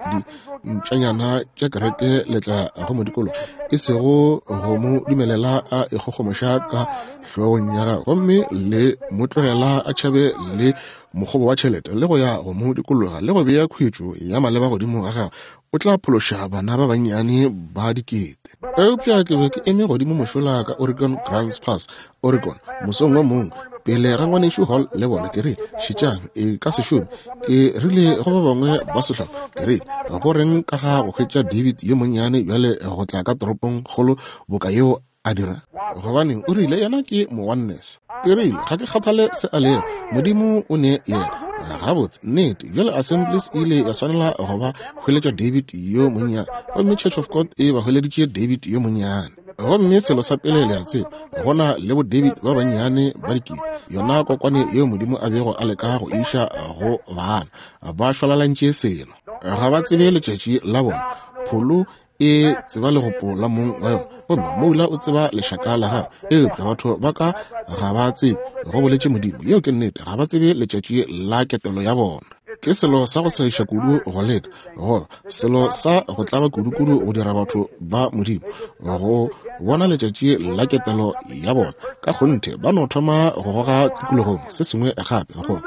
dintšanyana tša kereke le tla go mo dikologa, e sego go mo dumelela a ikgogomoša ka hlogong ya gagwe, gomme le mo tlogela a tšhabe le mokgobo wa tšhelete le go ya go mo dikologa le go bea khuetšo ya maleba godimo ga gagwe, o tla phološa bana ba bannyane ba dikete. Eupša ke be ke eme godimo mošola ka Oregon Grants Pass, Oregon, mosong wo mongwe pele ga ngwanešu Hall le bona. Ke rile, šetšang, e ka se šome. Ke rile go ba bangwe ba sehlopha, ke rile, go reng ka ga go hwetša David yo monnyane bjale go tla ka toropong kgolo boka yeo a dira? Gobaneng, o rile yena ke mo oneness. Ke rile, ga ke kgathale se a lego, Modimo o ne yena. Gabotse, nnete. Bjale Assemblies e ile ya swanela go ba hweletša David yo monnyane, gomme Church of God e ba hweleditše David yo monnyane. Gomme selo sa pele le a tseba, go na le bo David ba bannyane ba dikete, yona kokwane yeo Modimo a bego a leka go iša go bana, ba šwalalantše selo. Ga ba tsebe letšatši la bona. Pholo e tseba legopo la mong wa yona, gomme moula o tseba lešaka la gagwe, eupša batho ba ka ga ba tsebe, go boletše Modimo. Yeo ke nnete. Ga ba tsebe letšatši la ketelo ya bona. Ke selo sa go segiša kudu go leka, goba selo sa go tlaba kudu-kudu go dira batho ba Modimo go bona letšatši la ketelo ya bona. Ka kgonthe ba no thoma go goga tikologong se sengwe gape, goba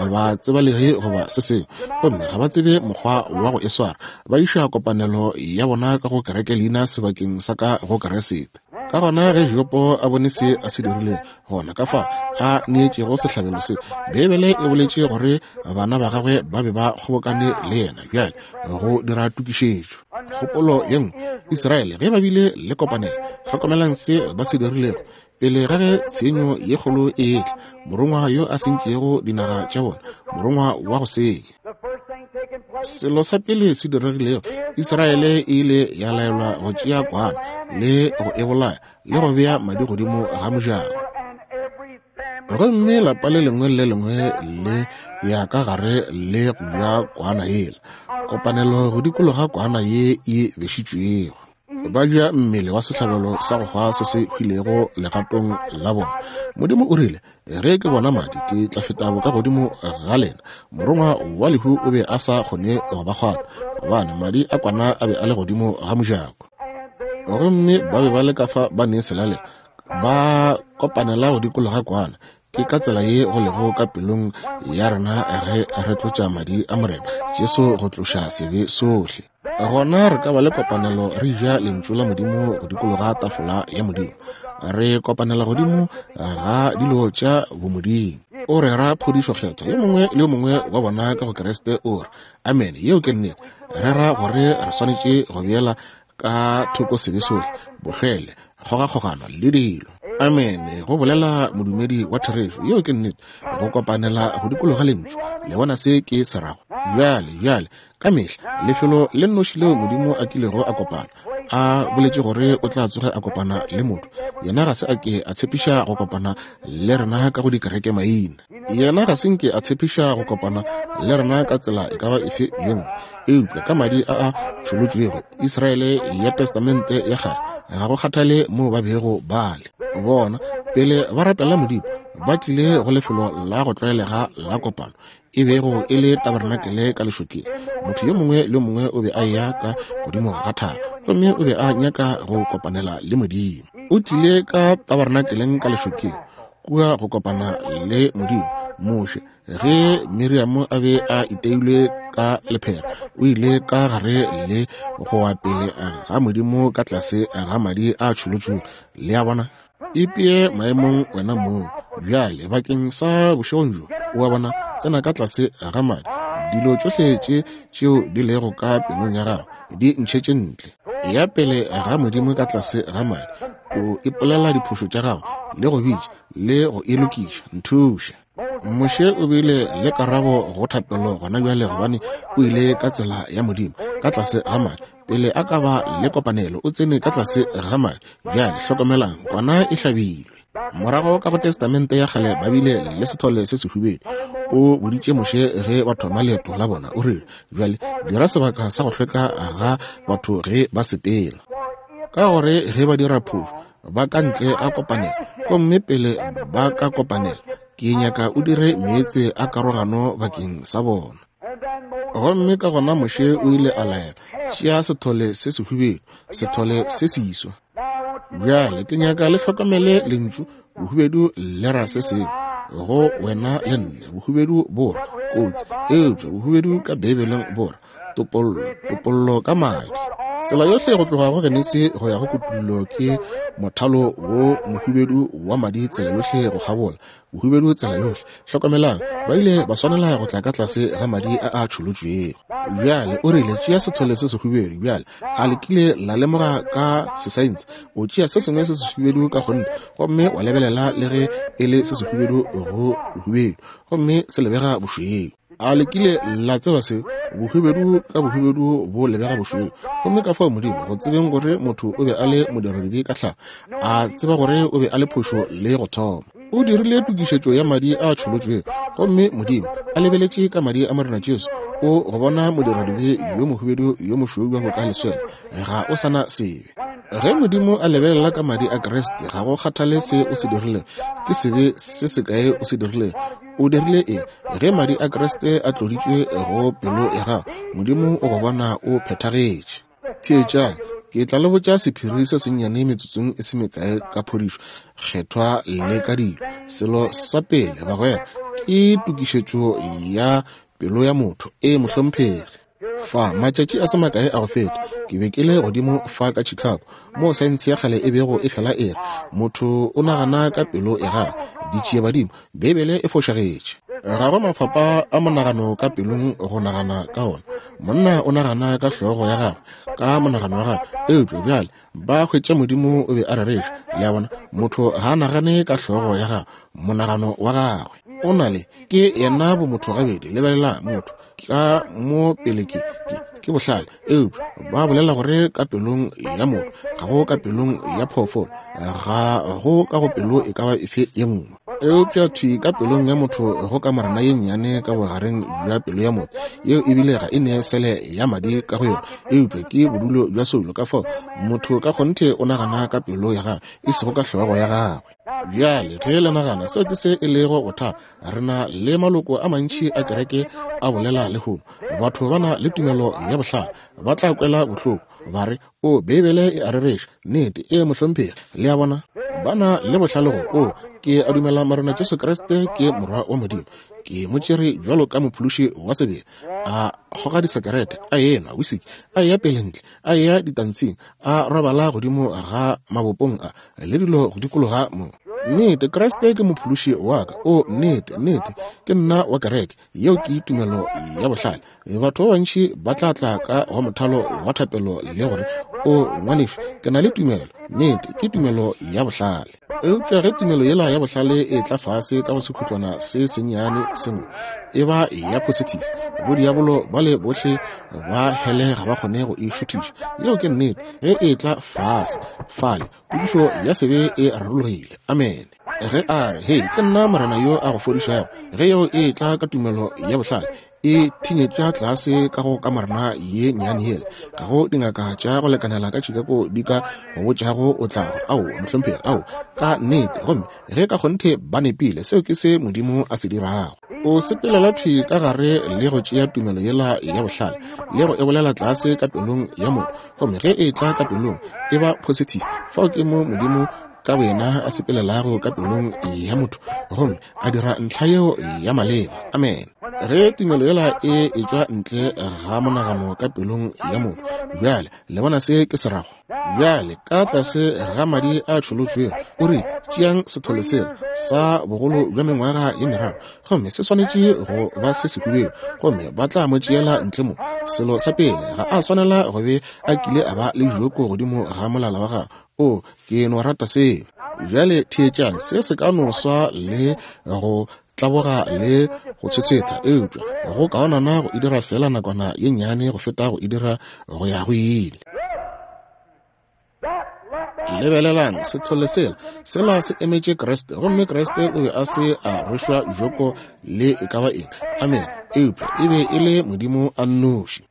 ba tsebalege goba se sengwe, gomme ga ba tsebe mokgwa wa go e swara. Ba iša kopanelo ya bona ka go kereke leina sebakeng sa ka go Keresete. Ka gona ge Jopo a bone se a se dirilego, gona ka fao a neetšego sehlabelo se, Beibele e boletše gore bana ba gagwe ba be ba kgobokane le yena bjale go dira tokišetšo. Kgopolo ye nngwe, Israele ge ba bile le kopanelo, hlokomelang se ba se dirilego pele ga ge tshenyo ye kgolo e etla, morongwa yo a sentšego dinaga tša bona, morongwa wa go senya. Selo sa pele se diregilego, Israele e ile ya laelwa go tšea kwana le go e bolaya le go bea madi godimo ga mojako. Gomme lapa le lengwe le lengwe le ya ka gare le go ja kwana yela, kopanelo go dikologa kwana ye e bešitšwego. Ba ja mmele wa sehlabelo sa go hwa se se hwilego legatong la bona. Modimo o rile, ge ke bona madi ke tla feta boka godimo ga lena. Morongwa wa lehu o be a sa kgone go ba kgwata, gobane madi a kwana a be a le godimo ga mojako. Gomme ba be ba le ka fa ba ne selalelo, ba kopanela go dikologa kwana. Ke ka tsela ye go lego ka pelong ya rena ge re tlotša madi a Morena Jesu go tloša sebe sohle. Gona re ka ba le kopanelo re ja lentšu la Modimo go dikologa tafola ya Modimo. Re kopanela godimo ga dilo tša bomodimo. O rera phodišo kgethwa, yo mongwe le yo mongwe wa bona ka go Kriste o re amen. Yeo ke nnete. Rera gore re swanetše go beela ka thoko sebe sohle, bohlwele, kgogakgogano le dilo. Amen, go bolela modumedi wa therešo. Yeo ke nnete. Go kopanela go dikologa lentšu. Le bona se ke se rago? Bjale, bjale, ka mehla lefelo le nnoši leo Modimo a kilego a kopana, a boletše gore o tla tsoge a kopana le motho, yena ga se a ke a tshepiša go kopana le rena ka go dikereke maina. Yena ga se nke a tshepiša go kopana le rena ka tsela e ka ba efe ye nngwe, eupša ka madi a a tšholotšwego. Israele ya Testamente ya kgale, ga go kgathale moo ba bego ba le bona pele ba rapela Modimo, ba tlile go lefelo la go tlwaelega la kopano, e bego e le tabernakele ka lešokeng. Motho yo mongwe le yo mongwe o be a eya ka godimo ga thaba, gomme o be a nyaka go kopanela le Modimo. O tlile ka tabernakeleng ka lešokeng, kua go kopana le Modimo. Moshe, ge Miriam a be a iteilwe ka lephera, o ile ka gare le go wa pele ga Modimo ka tlase ga madi a tšholotšwego. Le a bona? Ipee maemong wena mong bjale bakeng sa bošegong bjo. O a bona? Tsena ka tlase ga madi. Dilo tšohle tše tšeo di lego ka pelong ya gago di ntšhetše ntle. Ya pele ga Modimo ka tlase ga madi, o ipolela diphošo tša gago le go bitša le go e lokiša. Nthuše. Moshe o bile le karabo go thapelo gona bjale, gobane o ile ka tsela ya Modimo ka tlase ga madi. Pele a ka ba le kopanelo, o tsene ka tlase ga madi. Bjale hlokomelang, kwana e hlabilwe. Morago ka go Testamente ya kgale ba bile le sethole se sehubedu. O boditše Moshe ge ba thoma leeto la bona, o rile, bjale dira sebaka sa go hlweka ga batho ge ba sepela, ka gore ge ba dira phošo ba ka ntle a kopanela, gomme pele ba ka kopanela ke nyaka o dire meetse a karogano bakeng sa bona. Gomme ka gona Moshe o ile a laela, tšea sethole se sehubedu, sethole se seswa. Bjale ke nyaka le hlokomele lentšu bohubedu le ra se sengwe go wena le nne. Bohubedu bo ra kotsi, eupša bohubedu ka Beibeleng bo ra topollo, topollo ka madi. Tsela yohle go tloga go Genesi go ya go Kutullo ke mothalo wo mohubedu wa madi tsela yohle go kgabola, bohubedu tsela yohle. Hlokomelang, ba ile ba swanela go tla ka tlase ga madi a a tšholotšwego. Bjale o rile, tšea sethole se sehubedu. Bjale a le kile la lemoga ka sesaense, o tšea se sengwe se sehubedu ka kgonthe, gomme wa lebelela le ge e le se sehubedu go bohubedu, gomme se lebega bošweu. A le kile la tseba seo? Bohubedu ka bohubedu bo lebega bošweu. Gomme ka fao Modimo, go tsebeng gore motho o be a le modiradibe ka tlhago, a tseba gore o be a le phošo le go thoma, o dirile tokišetšo ya madi a tšholotšwego. Gomme Modimo a lebeletše ka madi a Morena Jesu, o go bona modiradibe yo mohubedu yo mošweu bjalo ka leswele, ga o sana sebe. Ge Modimo a lebelela ka madi a Kriste, ga go kgathale se o se dirilego, ke sebe se sekae o se dirilego, o dirile eng, ge madi a Kriste a tloditšwe go pelo ya gago, Modimo o go bona o phethagetše. Theetšang, ke tla le botša sephiri se sennyane metsotsong e se mekae ka phodišo kgethwa le ka dilo. Selo sa pele, bagwera, ke tokišetšo ya pelo ya motho e mohlomphegi. Fa matšatši a se makae a go feta, ke be ke le godimo fa ka Chicago, moo saense ya kgale e bego e fela e re motho o nagana ka pelo ya gagwe. Ditšiebadimo, Beibele e fošagetše. Ga go mafapa a monagano ka pelong go nagana ka ona. Monna o nagana ka hlogo ya gagwe, ka monagano wa gagwe. Eupša bjale ba hwetša Modimo o be a rereša. Le a bona, motho ga a nagane ka hlogo ya gagwe, monagano wa gagwe o na le ke yena bomotho gabedi. Lebelela motho ka mo pele ke ke ke bohlale, eupša ba bolela gore ka pelong ya motho, ga go ka pelong ya phoofolo, ga go ka go pelo e ka ba efe ye nngwe. Eupša thwi ka pelong ya motho go ka morana ye nnyane ka bogareng bja pelo ya motho, yeo ebile ga e ne sele ya madi ka go yona, eupša ke bodulo bja soulo. Ka fao motho ka kgonthe o nagana ka pelo ya gagwe, e sego ka hlogo ya gagwe. Bjale ge le nagana seo ke se e lego bothata, re na le maloko a mantši a kereke a bolela lehono. Batho ba na le tumelo ya bohlale, ba tla kwela bohloko, ba re, o Beibele e a rereša. Nnete, e mohlomphegi. Le a bona, ba na le bohlale go, o ke a dumela Morena Jesu Kriste ke morwa wa Modimo, ke mo tšere bjalo ka mophološi wa sebele. A kgoga disekerete, a enwa wisiki, a eya pele ntle, a eya ditantshing, a robala godimo ga mabopong a le dilo go dikologa mo. Nnete, Kriste ke mophološi wa ka. O nnete, nnete, ke nna wa kereke. Yeo ke tumelo ya bohlale. Batho ba bantši ba tla tla ka go mothalo wa thapelo le gore, o ngwanešu, ke na le tumelo. Nnete, ke tumelo ya bohlale. Eupša ge tumelo yela ya bohlale e tla fase ka go sekhutlwana se sennyane sengwe, e ba ya positive. Bodiabolo ba le bohle ba hele ga ba kgone go e šuthiša. Yeo ke nnete. Ge e tla fase fale, potšišo ya sebe e rarologile. Amen. Ge a re, hei, ke nna Morena yo a go fodišago, ge yeo e tla ka tumelo ya bohlale, e thinyetša tlase ka go kamorana ye nnyane yela. Ga go dingaka tša go lekanela ka Chicago di ka go botšago o tla go, ao, mohlomphegi, ao, ka nnete. Gomme ge ka kgonthe ba nepile, seo ke se Modimo a se dirago. O sepelela thwi ka gare le go tšea tumelo yela ya bohlale le go e bolela tlase ka pelong ya motho, gomme ge e tla ka pelong e ba positive. Fao ke mo Modimo ka boyena a sepelelago ka pelong ya motho gomme a dira ntlha yeo ya maleba. Amen. Ge tumelo yela e etšwa ntle ga monagano ka pelong ya motho, bjale le bona se ke se rago. Bjale ka tlase ga madi a tšholotšwego, o re tšeang sethole sela sa bogolo bja mengwaga ye meraro, gomme se swanetše go ba se sehubedu, gomme ba tla mo tšeela ntle mo. Selo sa pele, ga a swanela go be a kile a ba le joko godimo ga molala wa gagwe. O, ke no rata seo. Bjale theetšang, se se ka no swa le go tlaboga le go tshwetshwetha, eupša go kaonana go e dira fela nakwana ye nnyane go feta go e dira go ya go ile. Lebelelang sethole sela, sela se emetše Kriste, gomme Kriste o be a se a rwešwa joko le e ka ba eng. Amen. Eupša e be e le Modimo a nnoši.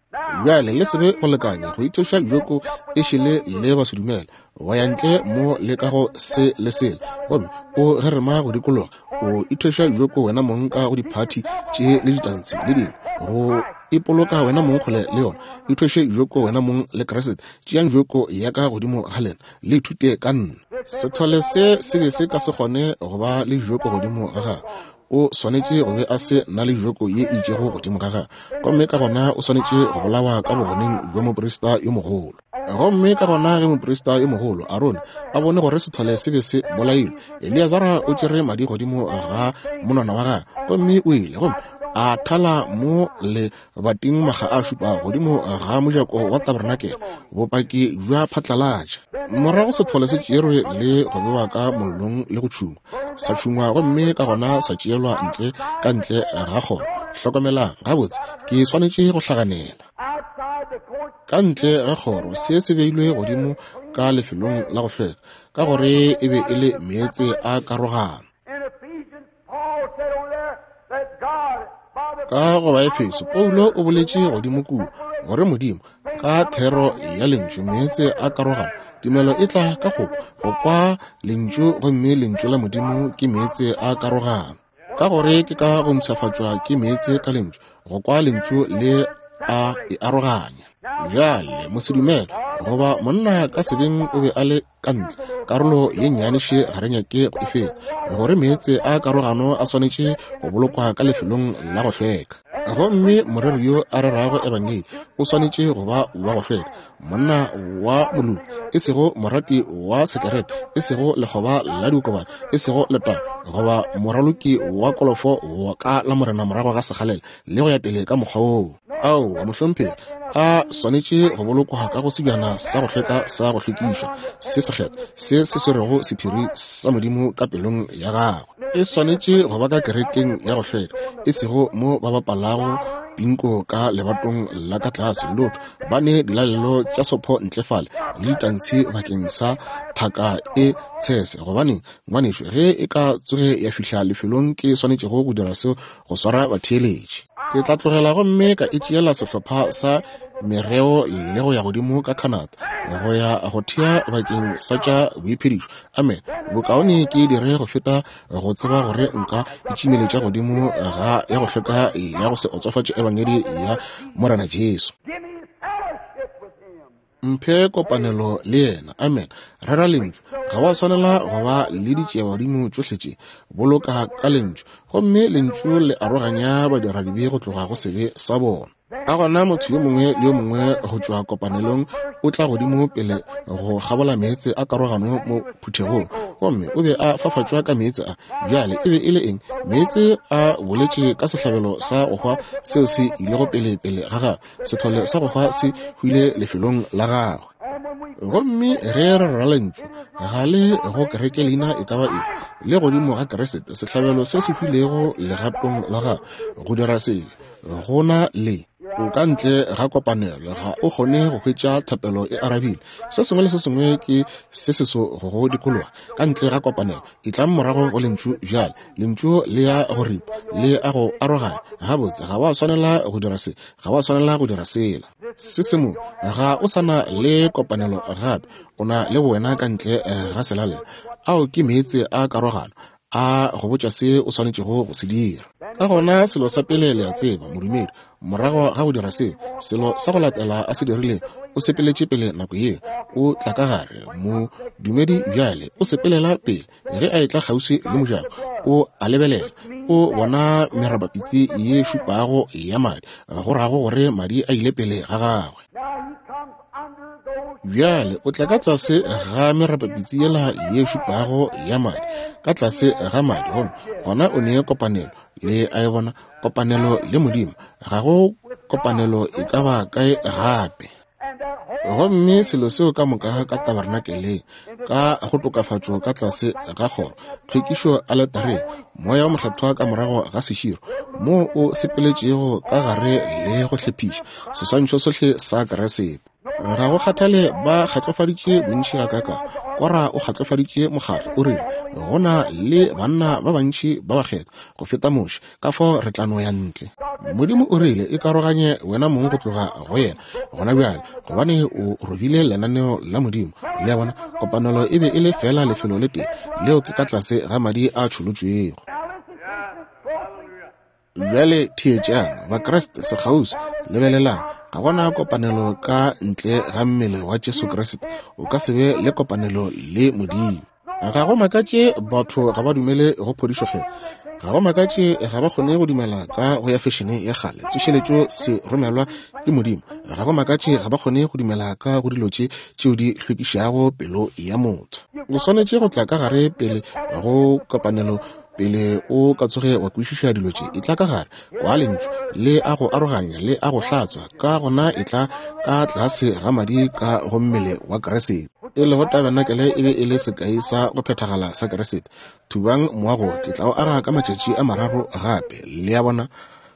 Bjale le se be go lekanya go ithoša joko e šele le basedumele, wa ya ntle mo le ka go se le sela, gomme o gerema go dikologa, o ithoša joko wena mong ka go diphathi tše le ditantshi le dingwe, go ipoloka wena mong kgole le yona. Ithoše joko wena mong le Kriste. Tšeang joko ya ka godimo ga lena, le ithute ka nna. Sethole se se be se ka se kgone go ba le joko godimo ga gagwe. O swanetše go be a se na le joko ye e itšego godimo ga gagwe, gomme ka gona o swanetše go bolawa ka bogoneng bja moprista yo mogolo. Gomme ka gona ge moprista yo mogolo Arone a bone gore sethole se be se bolailwe, Eleazara o tšere madi godimo ga monwana wa gagwe, gomme o ile gomme a thala mo lebating makga a šupa godimo ga mojako wa tabernakel, bopaki bja phatlalatša. Morago sethole se tšerwe le go bewa ka mollong le go tšhungwa, sa tšhungwa, gomme ka gona sa tšeelwa ntle ka ntle ga kgoro. Hlokomelang gabotse, ke swanetše go hlaganela. Ka ntle ga kgoro se se beilwe godimo ka lefelong la go hlweka, ka gore e be e le meetse a karogano. Ka go Baefeso, Paulo o boletše godimo kua gore Modimo ka thero ya lentšu meetse a karogano. Tumelo e tla ka go go kwa lentšu, gomme lentšu la Modimo ke meetse a karogano. Ka gore ke ka go mpshafatšwa ke meetse ka lentšu, go kwa lentšu le a e aroganya. Bjale mosedumele goba monna ka sebeng o be a le ka ntle, karolo ye nnyaneše ga re nyake go e feta, gore meetse a karogano a swanetše go bolokwa ka lefelong la go hlweka. Gomme moreri yo a rerago ebangedi o swanetše go ba wa go hlweka, monna wa moloki, e sego morati wa sekerete, e sego lekgoba la diokobatši, e sego letaba goba moraloki wa kolofo wa ka la morena morago ga sekgalela le go ya pele ka mokgwa woo. Aowa mohlomphegi, a swanetše go bolokwa ka go sebjana sa go hlweka sa go hlwekišwa se sekgethwa se se swerego sephiri sa Modimo ka pelong ya gagwe. E swanetše go ba ka kerekeng ya go hlweka, e sego mo ba bapalago pinko ka lebatong la ka tlase lotho, ba ne dilalelo tša sopho ntle fale le ditantshi bakeng sa thaka e tshese. Gobane ngwanešu, ge e ka tsoge ya fihla lefelong ke swanetšego go dira seo go swara batheeletši, ke tla tlogela gomme ka e tšeela sehlopha sa mereo le go ya godimo ka Canada go ya go thea bakeng sa tša boiphedišo. Amen. Bokaone ke dire go feta go tseba gore nka itšimeletša godimo ga ya go hlweka ya go se otsofatše ebangedi ya Morena Jesu. Mphe kopanelo le yena. Amen. Rera lentšu. Ga wa swanela go ba le ditšeabadimo tšohle tše. Boloka ka lentšu, gomme lentšu le aroganya badiradibe go tloga go sebe sa bona. Ka gona motho yo mongwe le yo mongwe go tšwa kopanelong o tla godimo pele go kgabola meetse a karogano mo phuthegong, gomme o be a fafatšwa ka meetse a. Bjale e be e le eng? Meetse a boletše ka sehlabelo sa go hwa seo se ilego pele pele ga gagwe. Sethole sa go hwa se hwile lefelong la gagwe. Gomme ge re rera lentšu, ga le go kereke leina e ka ba efe, le godimo ga Kriste, sehlabelo se se hwilego legatong la gagwe go dira sebe, gona le o ka ntle ga kopanelo ga o kgone go hwetša thapelo e arabile. Se sengwe le se sengwe ke se seso go go dikologa ka ntle ga kopanelo. E tlang morago go lentšu bjale. Lentšu le ya go ripa, le a go aroganya. Gabotse, ga wa swanela go dira se, ga wa swanela go dira sela. Se se mo, ga o sana le kopanelo gape, o na le wena ka ntle ga selalela. Ao ke meetse a karogano a go botša se o swanetšego go se dira. Ka gona selo sa pele le a tseba, modumedi, morago ga go dira seo, selo sa go latela a se dirilego, o sepeletše pele nako yeo, o tla ka gare. Modumedi bjale o sepelela pele. Ge a etla kgauswi le mojako, o a lebelela, o bona merabapitsi ye šupago ya madi, go rago gore madi a ile pele ga gagwe. Bjale o tla ka tlase ga merabapitsi yela ye šupago ya madi, ka tlase ga madi, gomme gona o ne kopanelo le a e bona, kopanelo le Modimo. Ga go kopanelo e ka ba kae gape. Gomme selo seo ka moka ka tabernakeleng, ka go tokafatšo ka tlase ga kgoro, tlhwekišo aletareng, moya wa mokgethwa ka morago ga seširo, moo o sepeletšego ka gare le go hlephiša seswantšho sohle sa Kriste. Ga go kgathale ba kgatlofaditše bontši gakaka, Kora o kgatlofaditše mokgatlo, o rile go na le banna ba bantši ba bakgethwa go feta Moshe, ka fao re tla no ya ntle. Modimo o rile e karoganye wena mong go tloga go yena gona bjale, gobane o robile lenaneo la Modimo. Le a bona, kopanelo e be e le fela lefelo le tee, leo ke ka tlase ga madi a tšholotšwego. Bjale theetšang, Bakriste sekgauswi, lebelelang. Ga gona kopanelo ka ntle ga mmele wa Jesu Kriste. O ka se be le kopanelo le Modimo. Ga go makatše batho ga ba dumele go phodišo kgethwa. Ga go makatše ga ba kgone go dumela ka go ya fešene ya kgale, tsošeletšo se romelwa ke Modimo. Ga go makatše ga ba kgone go dumela ka go dilo tše tšeo di hlwekišago pelo ya motho. O swanetše go tla ka gare pele go kopanelo, pele o ka tsoge wa kwešiša dilo tše. E tla ka gare kwa lentšu le a go aroganya le a go hlatswa, ka gona e tla ka tlase ga madi ka go mmele wa Kriste. E lego tabernakel e be e le sekai sa go phethagala sa Kriste. Thubang moago, ke tla o aga ka matšatši a mararo gape. Le a bona,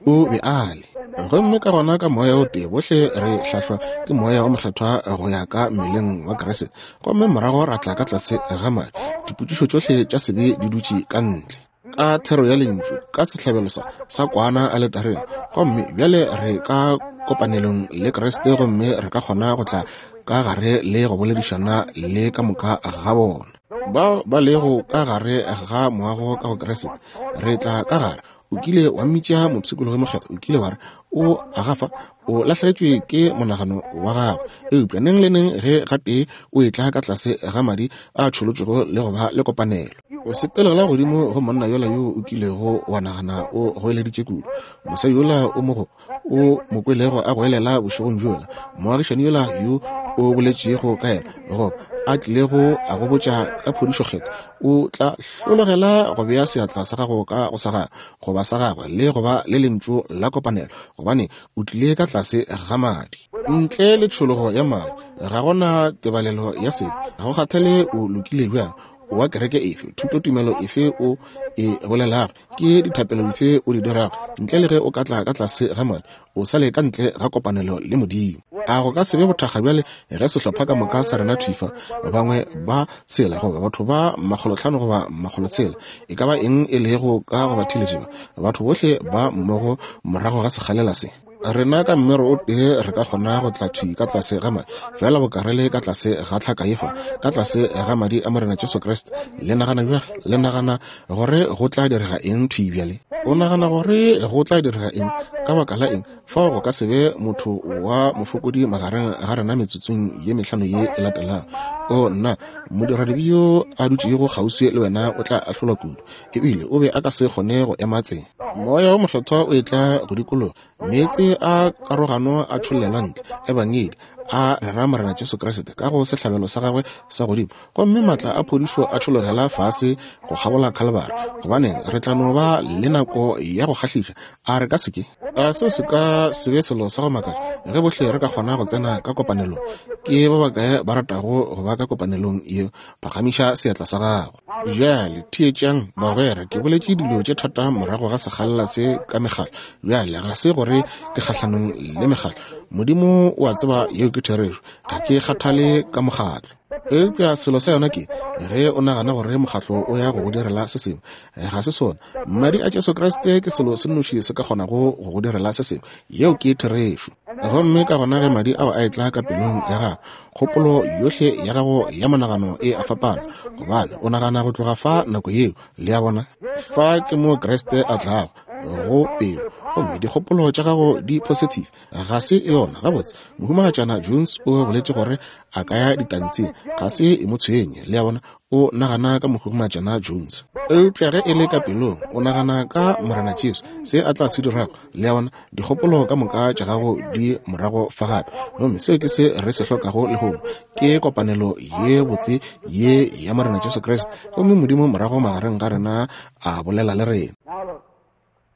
o be a le. Gomme ka gona ka moya o tee bohle re hlahlwa ke moya wa mokgethwa go ya ka mmeleng wa Kriste, gomme morago ra tla ka tlase ga madi. Dipotšišo tšohle tša sebe di dutše ka ntle ka thero ya lentšu, ka sehlabelo sa sa kwana aletareng. Gomme bjale re ka kopanelong le Kriste, gomme re ka kgona go tla ka gare le go boledišana le ka moka ga bona bao ba lego ka gare ga moago ka go Kriste. Re tla ka gare. O kile wa mmitša mopshikologi mokgethwa, o kile wa re o agafa, o lahlegetšwe ke monagano wa gagwe. Eupša neng le neng ge gatee o etla ka tlase ga madi a tšholotšwego le go ba le kopanelo, o sepelela godimo go monna yola yo o kilego wa nagana o goeleditše kudu, mosadi yola o mogo o mo kwelego a goelela bošegong bjola, moagišani yola yo o boletšego ka yena, goba a tlilego a go botša ka phodišo kgethwa, o tla hlologela go bea seatla sa gago ka go sa gagwe goba sa gagwe le go ba le lentšu la kopanelo, gobane o tlile ka tlase ga madi. Ntle le tšhologo ya madi ga gona tebalelo ya sebe. Ga go kgathale o lokile bjang, wa kereke efe, thutotumelo efe o e bolelago, ke dithapelo dife o di dirago, ntle le ge o ka tla ka tlase ga madi, o sa le ka ntle ga kopanelo le Modimo. A go ka se be bothakga bjale ge sehlopha ka moka sa rena thufa, bangwe ba tshela goba batho ba makgolotlhano goba makgolotshela, e ka ba eng e lego ka go ba theletše ba, batho bohle ba mmogo morago ga sekgalela se. Rena ka mmero o tee re ka kgona go tla thwi ka tlase ga madi, fela bokarele ka tlase ga tlhaka efa, ka tlase ga madi a Morena Jesu Kriste. Le nagana bjang? Le nagana gore go tla direga eng thwi bjale? O nagana gore go tla direga eng? Ka baka la eng? Fao go ka se be motho wa mofokodi magareng ga rena metsotsong ye mehlano ye e latelago. O nna, modiradibe yo a dutšego kgauswi le wena o tla ahlolwa kudu, ebile o be a ka se kgone go ema tsela. Moya wa mokgethwa o etla go dikologa, meetse a karogano a tšhollelwa ntle, ebangedi a rera Morena Jesu Kriste ka go sehlabelo sa gagwe sa godimo, gomme maatla a phodišo a tšhologela fase go kgabola Khalibari. Gobaneng, re tla no ba le nako ya go kgahliša, a re ka se ke? A seo se ka se be selo sa go makatša ge bohle re ka kgona go tsena ka kopanelong? Ke ba bakae ba ratago go ba ka kopanelong yeo? Phagamiša seatla sa gago. Bjale theetšang bagwera, ke boletše dilo tše thata morago ga sekgalela se ka mekgatlo. Bjale ga se gore ke kgahlanong le mekgatlo, Modimo o a tseba yeo ke therešo, ga ke kgathale ka mokgatlo. Eupša selo sa yona ke ge o nagana gore mokgatlo o ya go go direla se sengwe, ga se sona. Madi a Jesu Kriste ke selo se nnoši se ka kgonago go go direla se sengwe, yeo ke therešo. Gomme ka gona ge madi ao a etla ka pelong ya gago, kgopolo yohle ya gago ya monagano e a fapana, gobane o nagana go tloga fa nako yeo. Le a bona, fa ke mo Kriste a tlago. go pelo, gomme dikgopolo tša gago di positive. Ga se yona. Gabotse, Mohumagatšana Jones o boletše gore a ka ya ditantseng. Ga se e mo tshwenye, le a bona, o nagana ka Mohumagatšana Jones. Eupša ge e le ka pelong, o nagana ka Morena Jesu, se a tla se dirago, le a bona, dikgopolo ka moka tša gago di morago fa gape. Gomme seo ke se re se hlokago lehono, ke kopanelo ye botse ye ya Morena Jesu Kriste, gomme Modimo morago magareng ga rena a bolela le rena.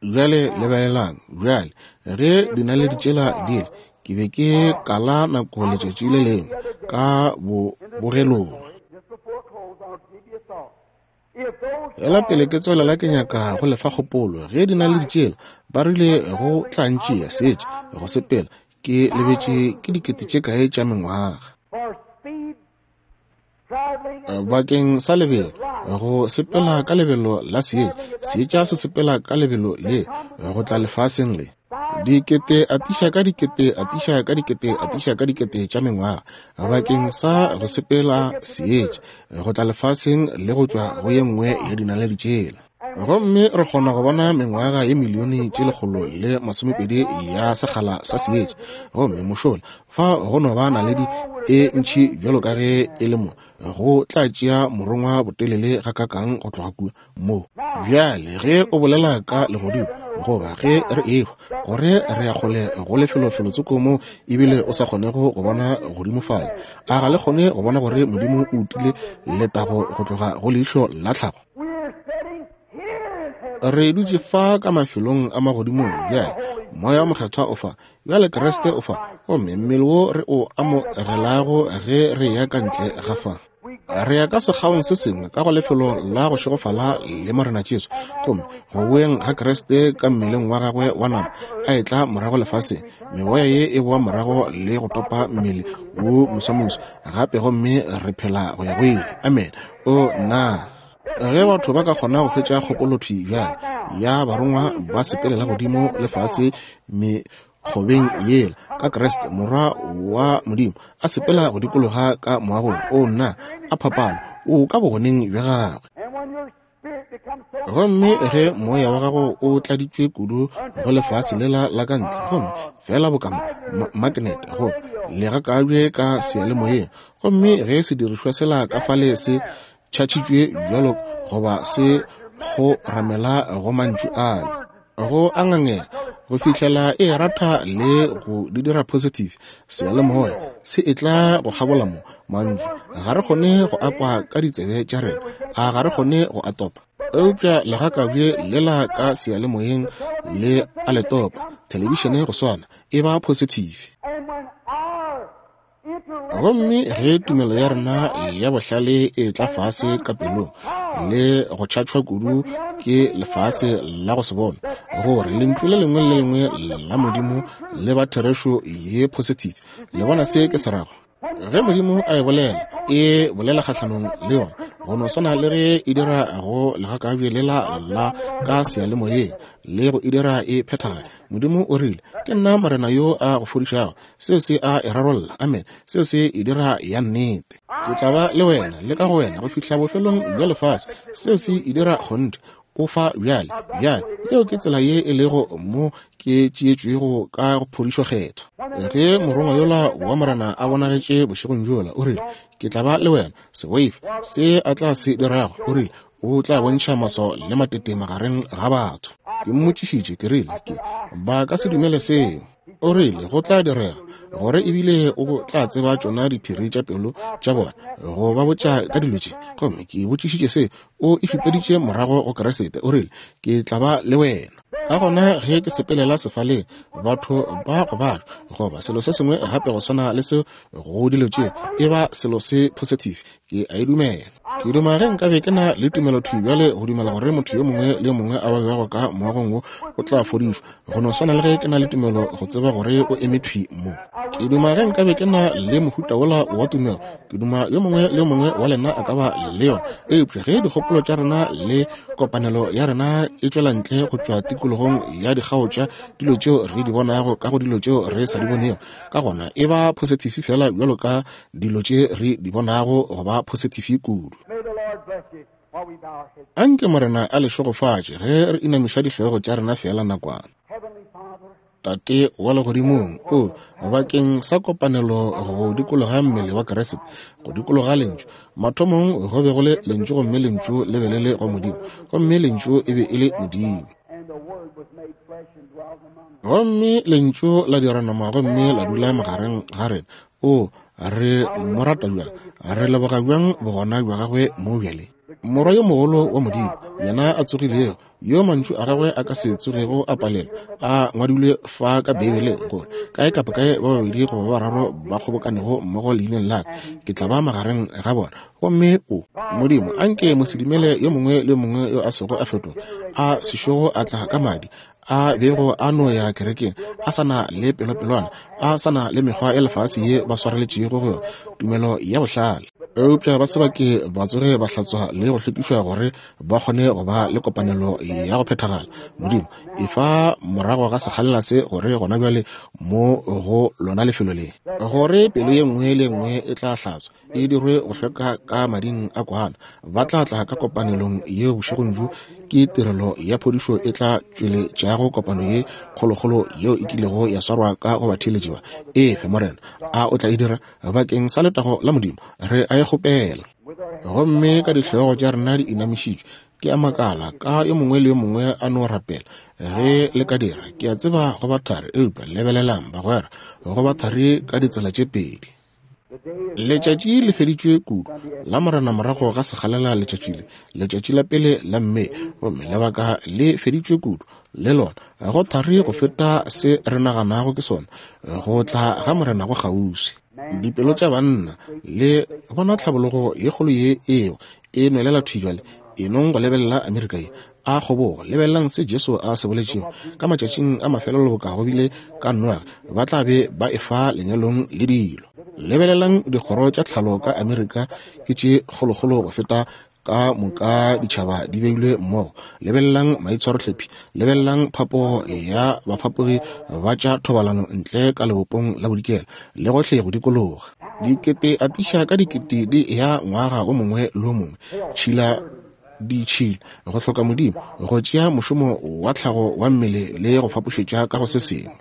Bjale lebelelang, bjale ge dinaledi tšela di ile, ke be ke kala nako letšatši le lengwe ka bobogelong. Ela pele ke tswelela ke nyaka go lefa kgopolo. Ge dinaledi tšela ba rile go tla ntšea setše go sepela, ke lebetše ke dikete tše kae tša mengwaga. Bakeng sa lebelo, go sepela ka lebelo la seetša, seetša se sepela ka lebelo le go tla lefaseng le. Dikete atiša ka dikete atiša ka dikete atiša ka dikete tša mengwaga bakeng sa go sepela seetša go tla lefaseng le go tšwa go ye nngwe ya dinaledi tšela. Gomme re kgona go bona mengwaga ye milione tše lekgolo le masomepedi ya sekgala sa seetša. Gomme mošola fa go no ba naledi e ntši bjalo ka ge e le mo, go tla tšea morongwa botelele ga kakang go tloga kua mo. Bjale ge o bolela ka legodimo, goba ge re ehwa, gore re ya kgole go lefelofelo-tsoko mo ebile o sa kgonego go bona godimo fale, a ga le kgone go bona gore Modimo o utile letago go tloga go leihlo la tlhago? Re dutše fa ka mafelong a magodimong bjale, Moya o Mokgethwa o fa, bjale Kriste o fa, gomme mmele wo re o amogelago ge re ya ka ntle ga fa. Re ya ka sekgaong se sengwe ka go lefelo la go šegofala le Morena Jesu, gomme go boeng ga Kriste ka mmeleng wa gagwe wa nama a etla morago lefaseng, meoya ye e boa morago le go topa mmele wo mosamoso gape, gomme re phela go ya go ile. Amen. O nna ge batho ba ka kgona go hwetša kgopolothwi bjale ya barongwa ba sepelela godimo lefase mekgobeng yela ka Kriste Morwa wa Modimo a sepela go dikologa ka moagong, o nna a phapano o ka bogoneng bja gagwe. Gomme ge moya wa gago o tladitšwe kudu go lefase lela la ka ntle, gomme fela boka magnet go le gakabje ka seyalemoyeng, gomme ge sedirišwa sela ka fale se tšhatšitšwe bjalo goba se go ramela go mantšu ale, go a ngangela go fihlela e ratha le go di dira positive, seyalemoya se e tla go kgabola mo mantšu. Ga re kgone go akwa ka ditsebe tša rena, a ga re kgone go a topa, eupša legakabje lela ka seyalemoyeng le a le topa. Thelebišene go swana e ba positive. Gomme ge tumelo ya rena ya bohlale e tla fase ka pelong le go tšhatšhwa kudu ke lefase la go se bona, gore lentšu le lengwe le lengwe la Modimo le ba therešo ye positive. Le bona se ke se rago? Ge Modimo a e bolela, e bolela kgahlanong le yona, go no swana le ge e dira go legakabje lela la ka seyalemoyeng le go e dira e phethagale. Modimo o rile, ke nna Morena yo a go fodišago. Seo se a e rarolla. Amen. Seo se e dira ya nnete. Ke tla ba le wena le ka go wena go fihla bofelong bja lefase. Seo se e dira kgonthe. O fa bjale, bjale yeo ke tsela ye e lego mo ke tšeetšwego ka go phodišo kgethwa. Ge morongwa yola wa Morena a bonagetše bošegong bjola, o rile, ke tla ba le wena, se boife se a tla se dirago. O rile, o tla bontšha maswao le matete magareng ga batho. Ke mmotšišitše, ke rile, ke ba ka se dumele seo. O rile, go tla direga gore ebile o tla tseba tšona diphiri tša pelo tša bona, go ba botša ka dilo tše. Gomme ke botšišitše se, o e šupeditše morago go Kriste. O rile, ke tla ba le wena. Ka gona ge ke sepelela sefaleng, batho ba gobala goba selo se sengwe gape go swana le seo, go dilo tše e ba selo se positive. Ke a e dumela. Ke duma ge nkabe ke na le tumelo thwi bjale go dumela gore motho yo mongwe le yo mongwe a babjago ka moagong wo o tla fodišwa, go no swana le ge ke na le tumelo go tseba gore o eme thwi mo. Ke duma ge nkabe ke na le mohuta wola wa tumelo. Ke duma yo mongwe le yo mongwe wa lena a ka ba le yona. Eupša ge dikgopolo tša rena le kopanelo ya rena e tšwela ntle go tšwa tikologong ya dikgao tša dilo tšeo re di bonago ka go dilo tšeo re sa di bonego, ka gona e ba positive fela bjalo ka dilo tše re di bonago go ba positive kudu. May the Lord bless you. Anke Morena a le šegofatše ge re inamiša dihlogo tša rena fela nakwana. Tate wa legodimong, o bakeng sa kopanelo go dikologa mmele wa Kriste, go dikologa lentšu. Mathomong go be go le lentšu, gomme lentšu le be le le go Modimo, gomme lentšu e be e le Modimo. Gomme lentšu la dira nama gomme la dula magareng ga rena. O re mo rata bjang, re leboga bjang bogona bja gagwe mo bjale. Morwa yo mogolo wa Modimo, yena a tsogilego, yo mantšu a gagwe a ka se tsogego a palelwa, a ngwadilwe fa ka Beibeleng gore kae kapa kae ba babedi goba ba bararo ba kgobokanego mmogo leineng la ka, ke tla ba magareng ga bona. Gomme o Modimo, anke mosedumele yo mongwe le yo mongwe yo a sego a fetoga, a sešogo a tla ka madi, a bego a no ya kerekeng, a sa na le pelopelwana, a sa na le mekgwa ya lefase ye ba swareletšego go yona, tumelo ya bohlale, eupša ba se ba ke ba tsoge ba hlatswa le go hlwekišwa gore ba kgone go ba le kopanelo ya go phethagala. Modimo, efa morago ga sekgalela se gore gona bjale mo go lona lefelo le, gore pelo ye nngwe le nngwe e tla hlatswa, e dirwe go hlweka ka mading a kwana. Ba tla tla ka kopanelong yeo bošegong bjo, ke tirelo ya phodišo e tla tšweletšago kopano ye kgolokgolo yeo e kilego ya swarwa ka go batheeletši ba. Efe Morena, a o tla e dira bakeng sa letago la Modimo, re a e kgopela. Gomme ka dihlogo tša rena di inamišitšwe, ke a makala ka yo mongwe le yo mongwe a no rapela. Ge le ka dira, ke a tseba go ba thari, eupša lebelelang bagwera, go ba thari ka ditsela tše pedi. Letšatši le feditšwe kudu la Morena morago ga sekgalela letšatši le, letšatši la pele la Mme, gomme lebaka le feditšwe kudu le lona, go thari go feta se re naganago ke sona. Go tla ga Morena go kgauswi. Dipelo tša banna le bona tlhabologo ye kgolo ye eo e nwelela thwi bjale, e nong go lebelela Amerika ye a kgobogo. Lebelelang se Jesu a se boletšego ka matšatšing a mafelelo, boka go bile ka Noage, ba tla be ba efa lenyalong le dilo. Lebelelang dikgoro tša tlhalo ka Amerika ke tše kgolokgolo go feta ka moka ditšhaba di beilwe mmogo. Lebelelang maitshwarohlephi, lebelelang phapogo ya bafapogi ba tša thobalano ntle ka lebopong la bodikela le gohle go dikologa. Dikete atiša ka dikete di ya ngwaga o mongwe le o mongwe. Tšhila ditšhila, go hloka Modimo, go tšea mošomo wa tlhago wa mmele le go fapošetša ka go se sengwe.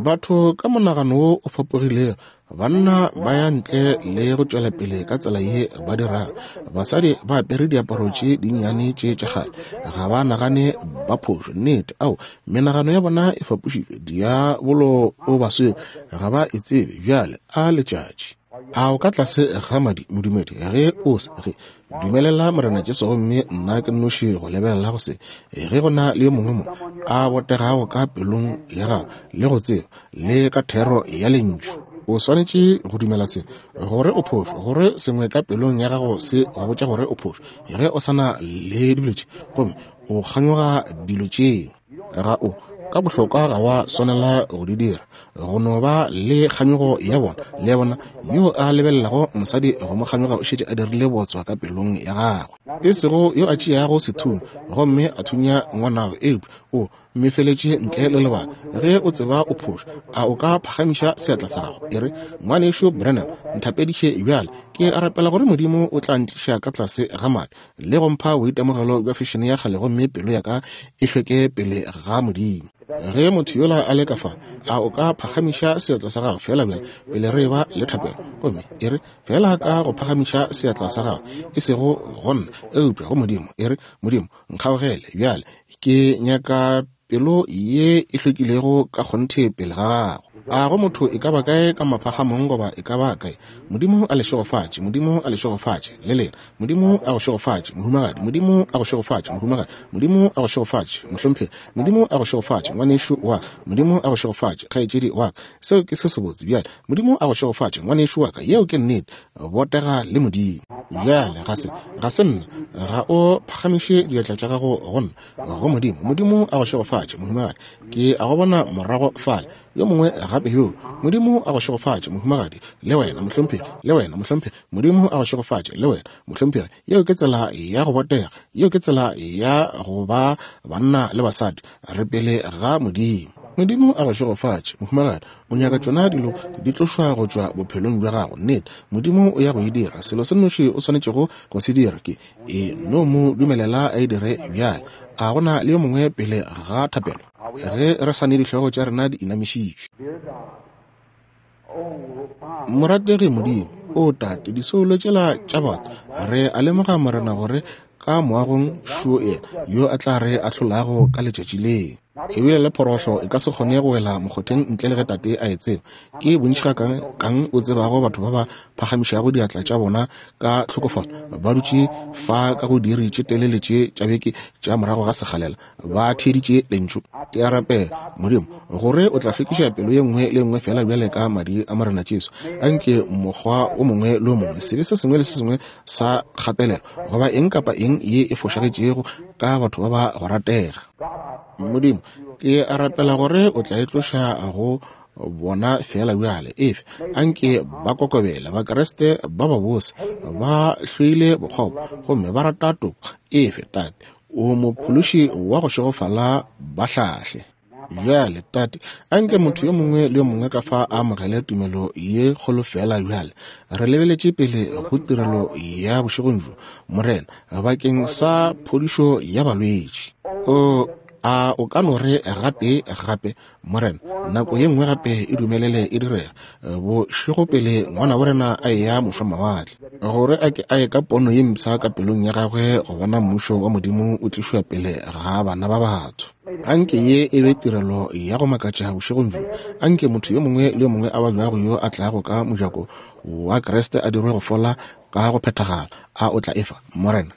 Batho ka monagano wo o fapogilego, banna ba ya ntle le go tšwela pele ka tsela ye ba dirago. Basadi ba apere diaparo tše dinnyane tše tša kgale, ga ba nagane ba phošo. Nnete, ao menagano ya bona e fapošitšwe, diabolo o ba swere, ga ba e tsebe. Bjale a letšatši a o ka tlase ga madi, modumedi, ge o se ge dumelela Morena Jesu gomme nna ke nnoši go lebelela go se, ge go na le yo mongwe mo a botegago ka pelong ya gago le go tseba le ka thero ya lentšu, o swanetše go dumela se gore o phošo, gore sengwe ka pelong ya gago se go botša gore o phošo. Ge o sa na le dilo tše gomme o kganyoga dilo tšeo, ga o ka bohlokwa ga wa swanela go di dira, go no ba le kganyogo ya bona. Le bona yo a lebelelago mosadi go mo kganyoga o šetše a dirile botswa ka pelong ya gagwe, e sego yo a tšeago sethunya gomme a thunya ngwanabo, eupša o mmefeletše ntle le lebaka. Ge o tseba o phošo, a o ka phagamiša seatla sa gago e re, ngwanešo Branham, nthapediše bjale, ke a rapela gore Modimo o tla ntliša ka tlase ga madi le go mpha boitemogelo bja fešene ya kgale, gomme pelo ya ka e hlweke pele ga Modimo. Ge motho yola a le ka fa, a o ka phagamiša seatla sa gago fela bjale pele re ba le thapelo, gomme e re fela ka go phagamiša seatla sa gago, e sego go nna eupša go Modimo, e re, Modimo nkgaogele bjale, ke nyaka pelo ye e hlwekilego ka kgonthe pele ga gago. A go motho e ka ba kae ka maphagamong goba e ka ba kae, Modimo a le šegofatše, Modimo a le šegofatše le lena, Modimo a go šegofatše mohumagadi, Modimo a go šegofatše mohumagadi, Modimo a go šegofatše mohlomphegi, Modimo a go šegofatše ngwanešu wa ka, Modimo a go šegofatše kgaetšedi wa ka. Seo ke se sebotse bjale. Modimo a go šegofatše ngwanešu wa ka, yeo ke nnete, botega le Modimo. Bjale ga se ga se nna, ga o phagamiše diatla tša gago go nna, go Modimo. Modimo a go šegofatše mohumagadi, ke a go bona morago fale. Yo mongwe gape yo, Modimo a go šegofatše mohumagadi, le wena mohlomphegi, le wena mohlomphegi, Modimo a go šegofatše le wena mohlomphegi. Yeo ke tsela ya go botega, yeo ke tsela ya go ba banna le basadi, re pele ga Modimo. Modimo a go šegofatše, mohumagadi. O nyaka tšona dilo di tlošwa go tšwa bophelong bja gago. Nnete, Modimo o ya go e dira. Selo se nnoši o swanetšego go se dira ke e no mo dumelela a e dire bjale. A gona le yo mongwe pele ga thapelo? Ge re sa ne dihlogo tša rena di inamišitšwe. Morategi Modimo, o Tate, disoulo tšela tša batho, re a lemoga Morena gore ka moagong šo yena yo a tla re ahlolago ka letšatši leo. Ebile le phorohlo e ka se kgone go wela mokgotheng ntle le ge Tate a e tseba. Ke bontši ga kang, kang o tsebago batho ba ba phagamišago diatla tša bona ka tlhokofalo, ba dutše fa ka go diiri tše telele tše tša beke tša morago ga sekgalela, ba theeditše lentšu. Ke a rapela, Modimo, gore o tla hlwekiša pelo ye nngwe le nngwe fela bjale ka madi a Morena Jesu. Anke mokgwa o mongwe le o mongwe, sebe se sengwe le se sengwe sa kgatelelo, goba eng kapa eng ye e fošagetšego ka batho ba ba go ratega. Modimo, ke a rapela gore o tla e tloša go bona fela bjale. Efe anke ba kokobele, Bakriste ba ba bose, ba hloile bokgopo gomme ba rata toko. Efe Tate, o mophološi wa go šegofala, ba hlahle. Bjale Tate, anke motho yo mongwe le yo mongwe ka fa a amogele tumelo ye kgolo fela bjale. Re lebeletše pele go tirelo ya bošegong bjo, Morena, bakeng sa phodišo ya balwetši. O a o ka no re gape gape, Morena, nako ye nngwe gape e dumelele e direga bošego pele ngwana wa rena a eya mošomawatle, gore a ke a ye ka pono ye mpsha ka pelong ya gagwe go bona mmušo wa Modimo o tlišwa pele ga bana ba batho. Anke ye e be tirelo ya go makatša bošegong bjo. Anke motho yo mongwe le yo mongwe a babjago yo a tlago ka mojako wa Kriste a dirwe go fola ka go phethagala. A o tla efa, Morena?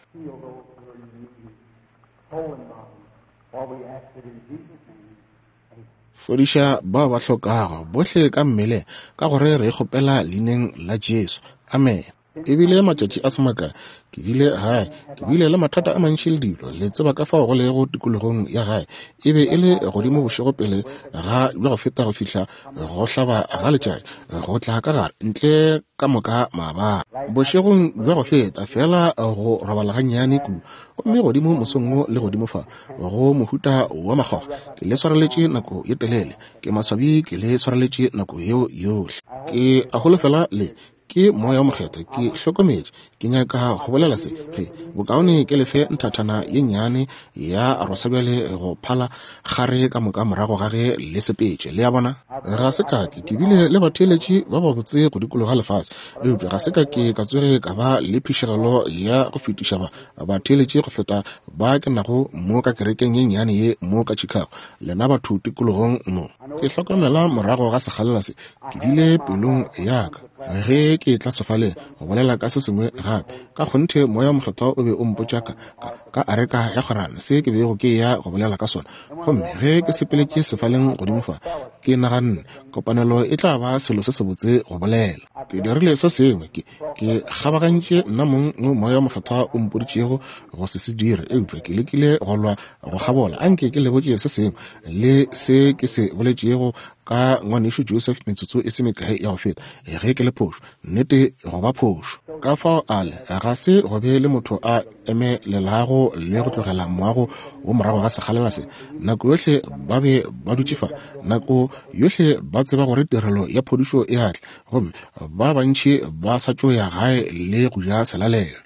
Fodiša bao ba hlokago bohle ka mmeleng, ka gore re kgopela leineng la Jesu. Amen. Ebile matšatši a se makae ke bile gae, ke bile le mathata a mantši le dilo. Le tseba ka fao go lego tikologong ya gae. E be e le godimo bošego pele ga bja go feta go fihla go hlaba ga letšatši, go tla ka gare ntle ka moka maabane. Bošegong bja go feta fela go robala gannyane kudu, gomme godimo mosong wo le godimo fa go mohuta wa makgoga. Ke le swareletše nako ye telele, ke maswabi ke le swareletše nako yeo yohle. Ke a holofela le ke moya wa mokgethwa. Ke hlokometše, ke nyaka go bolela se ge bokaone ke lefe nthathana ye nnyane ya rosa bjale go phala gare ka moka morago ga ge le sepetše. Le a bona, ga se ka ke ke bile le batheeletši ba babotse go dikologa lefase, eupša ga se ka ke ka tsoge ka ba le phišegelo ya go fetiša ba batheeletši go feta ba ke nago mo ka kerekeng ye nnyane ye mo ka Chicago. Lena batho tikologong mo, ke hlokomela morago ga sekgalela se, ke bile pelong ya ka ge ke tla sefaleng go bolela ka se sengwe gape. Ka kgonthe moya wa mokgethwa o be o mpotša ka, ka, ka areka ya kgorano se ke bego ke ya go bolela ka sona. Gomme ge ke sepeletše sefaleng godimo fa, ke naganne kopanelo e tla ba selo se sebotse go bolela. Ke dirile se sengwe, ke ke kgabagantše nna mong mo moya wa mokgethwa o mpoditšego go se se dire, eupša ke lekile go lwa go kgabola. Anke ke le botše se sengwe le se ke se boletšego ka ngwanešu Joseph metsotso e se mekae ya go feta. Ge ke le phošo, nnete go ba phošo. Ka fao ale ga se go be le motho a emelelago le go tlogela moago wo morago ga sekgalela se. Nako yohle ba be ba dutše fa, nako yohle ba tseba gore tirelo ya phodišo e atla, gomme ba bantši ba sa tšo ya gae le go ja selalelo.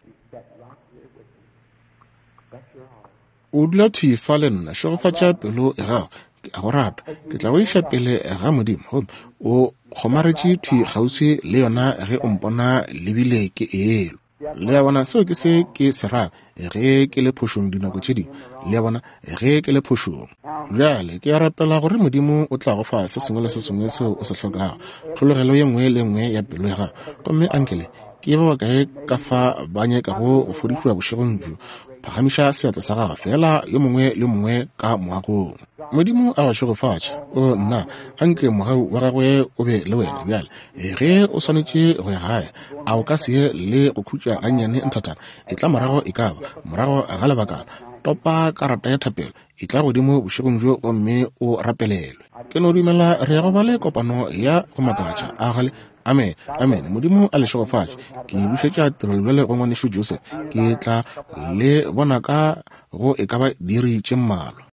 O dula thwi fa le nna, šegofatša pelo ya gago. Ke a go rata, ke tla go iša pele ga Modimo, gomme o kgomaretše thwi kgauswi le yona ge o mpona lebile ke elo. Le a bona, seo ke se ke se rago ge ke le phošong dinako tše dingwe. Le a bona, ge ke le phošong. Bjale ke a rapela gore Modimo o tla go fa se sengwe le se sengwe seo o se hlokago, tlhologelo ye nngwe le nngwe ya pelo ya gago. Gomme ankele ke ba bakae ka fa ba nyakago go fodišwa bošegong bjo? Phagamiša seatla sa gago fela, yo mongwe le mongwe ka moagong. Modimo a go šegofatše. O nna, anke mogau wa gagwe o be le wena bjale. Ge o swanetše go ya gae, a o ka se ye le go khutša gannyane nthathana? E tla morago e ka ba morago ga lebakana. Topa karata ya thapelo, e tla godimo bošegong bjo gomme o rapelelwe. Ke no dumela re ya go ba le kopano ya go makatša. A gale. Amen, amen. Modimo a le šegofatše. Ke bušetša tirelo bjale go ngwanešu Joseph. Ke tla le bona ka go e ka ba diiri tše mmalwa.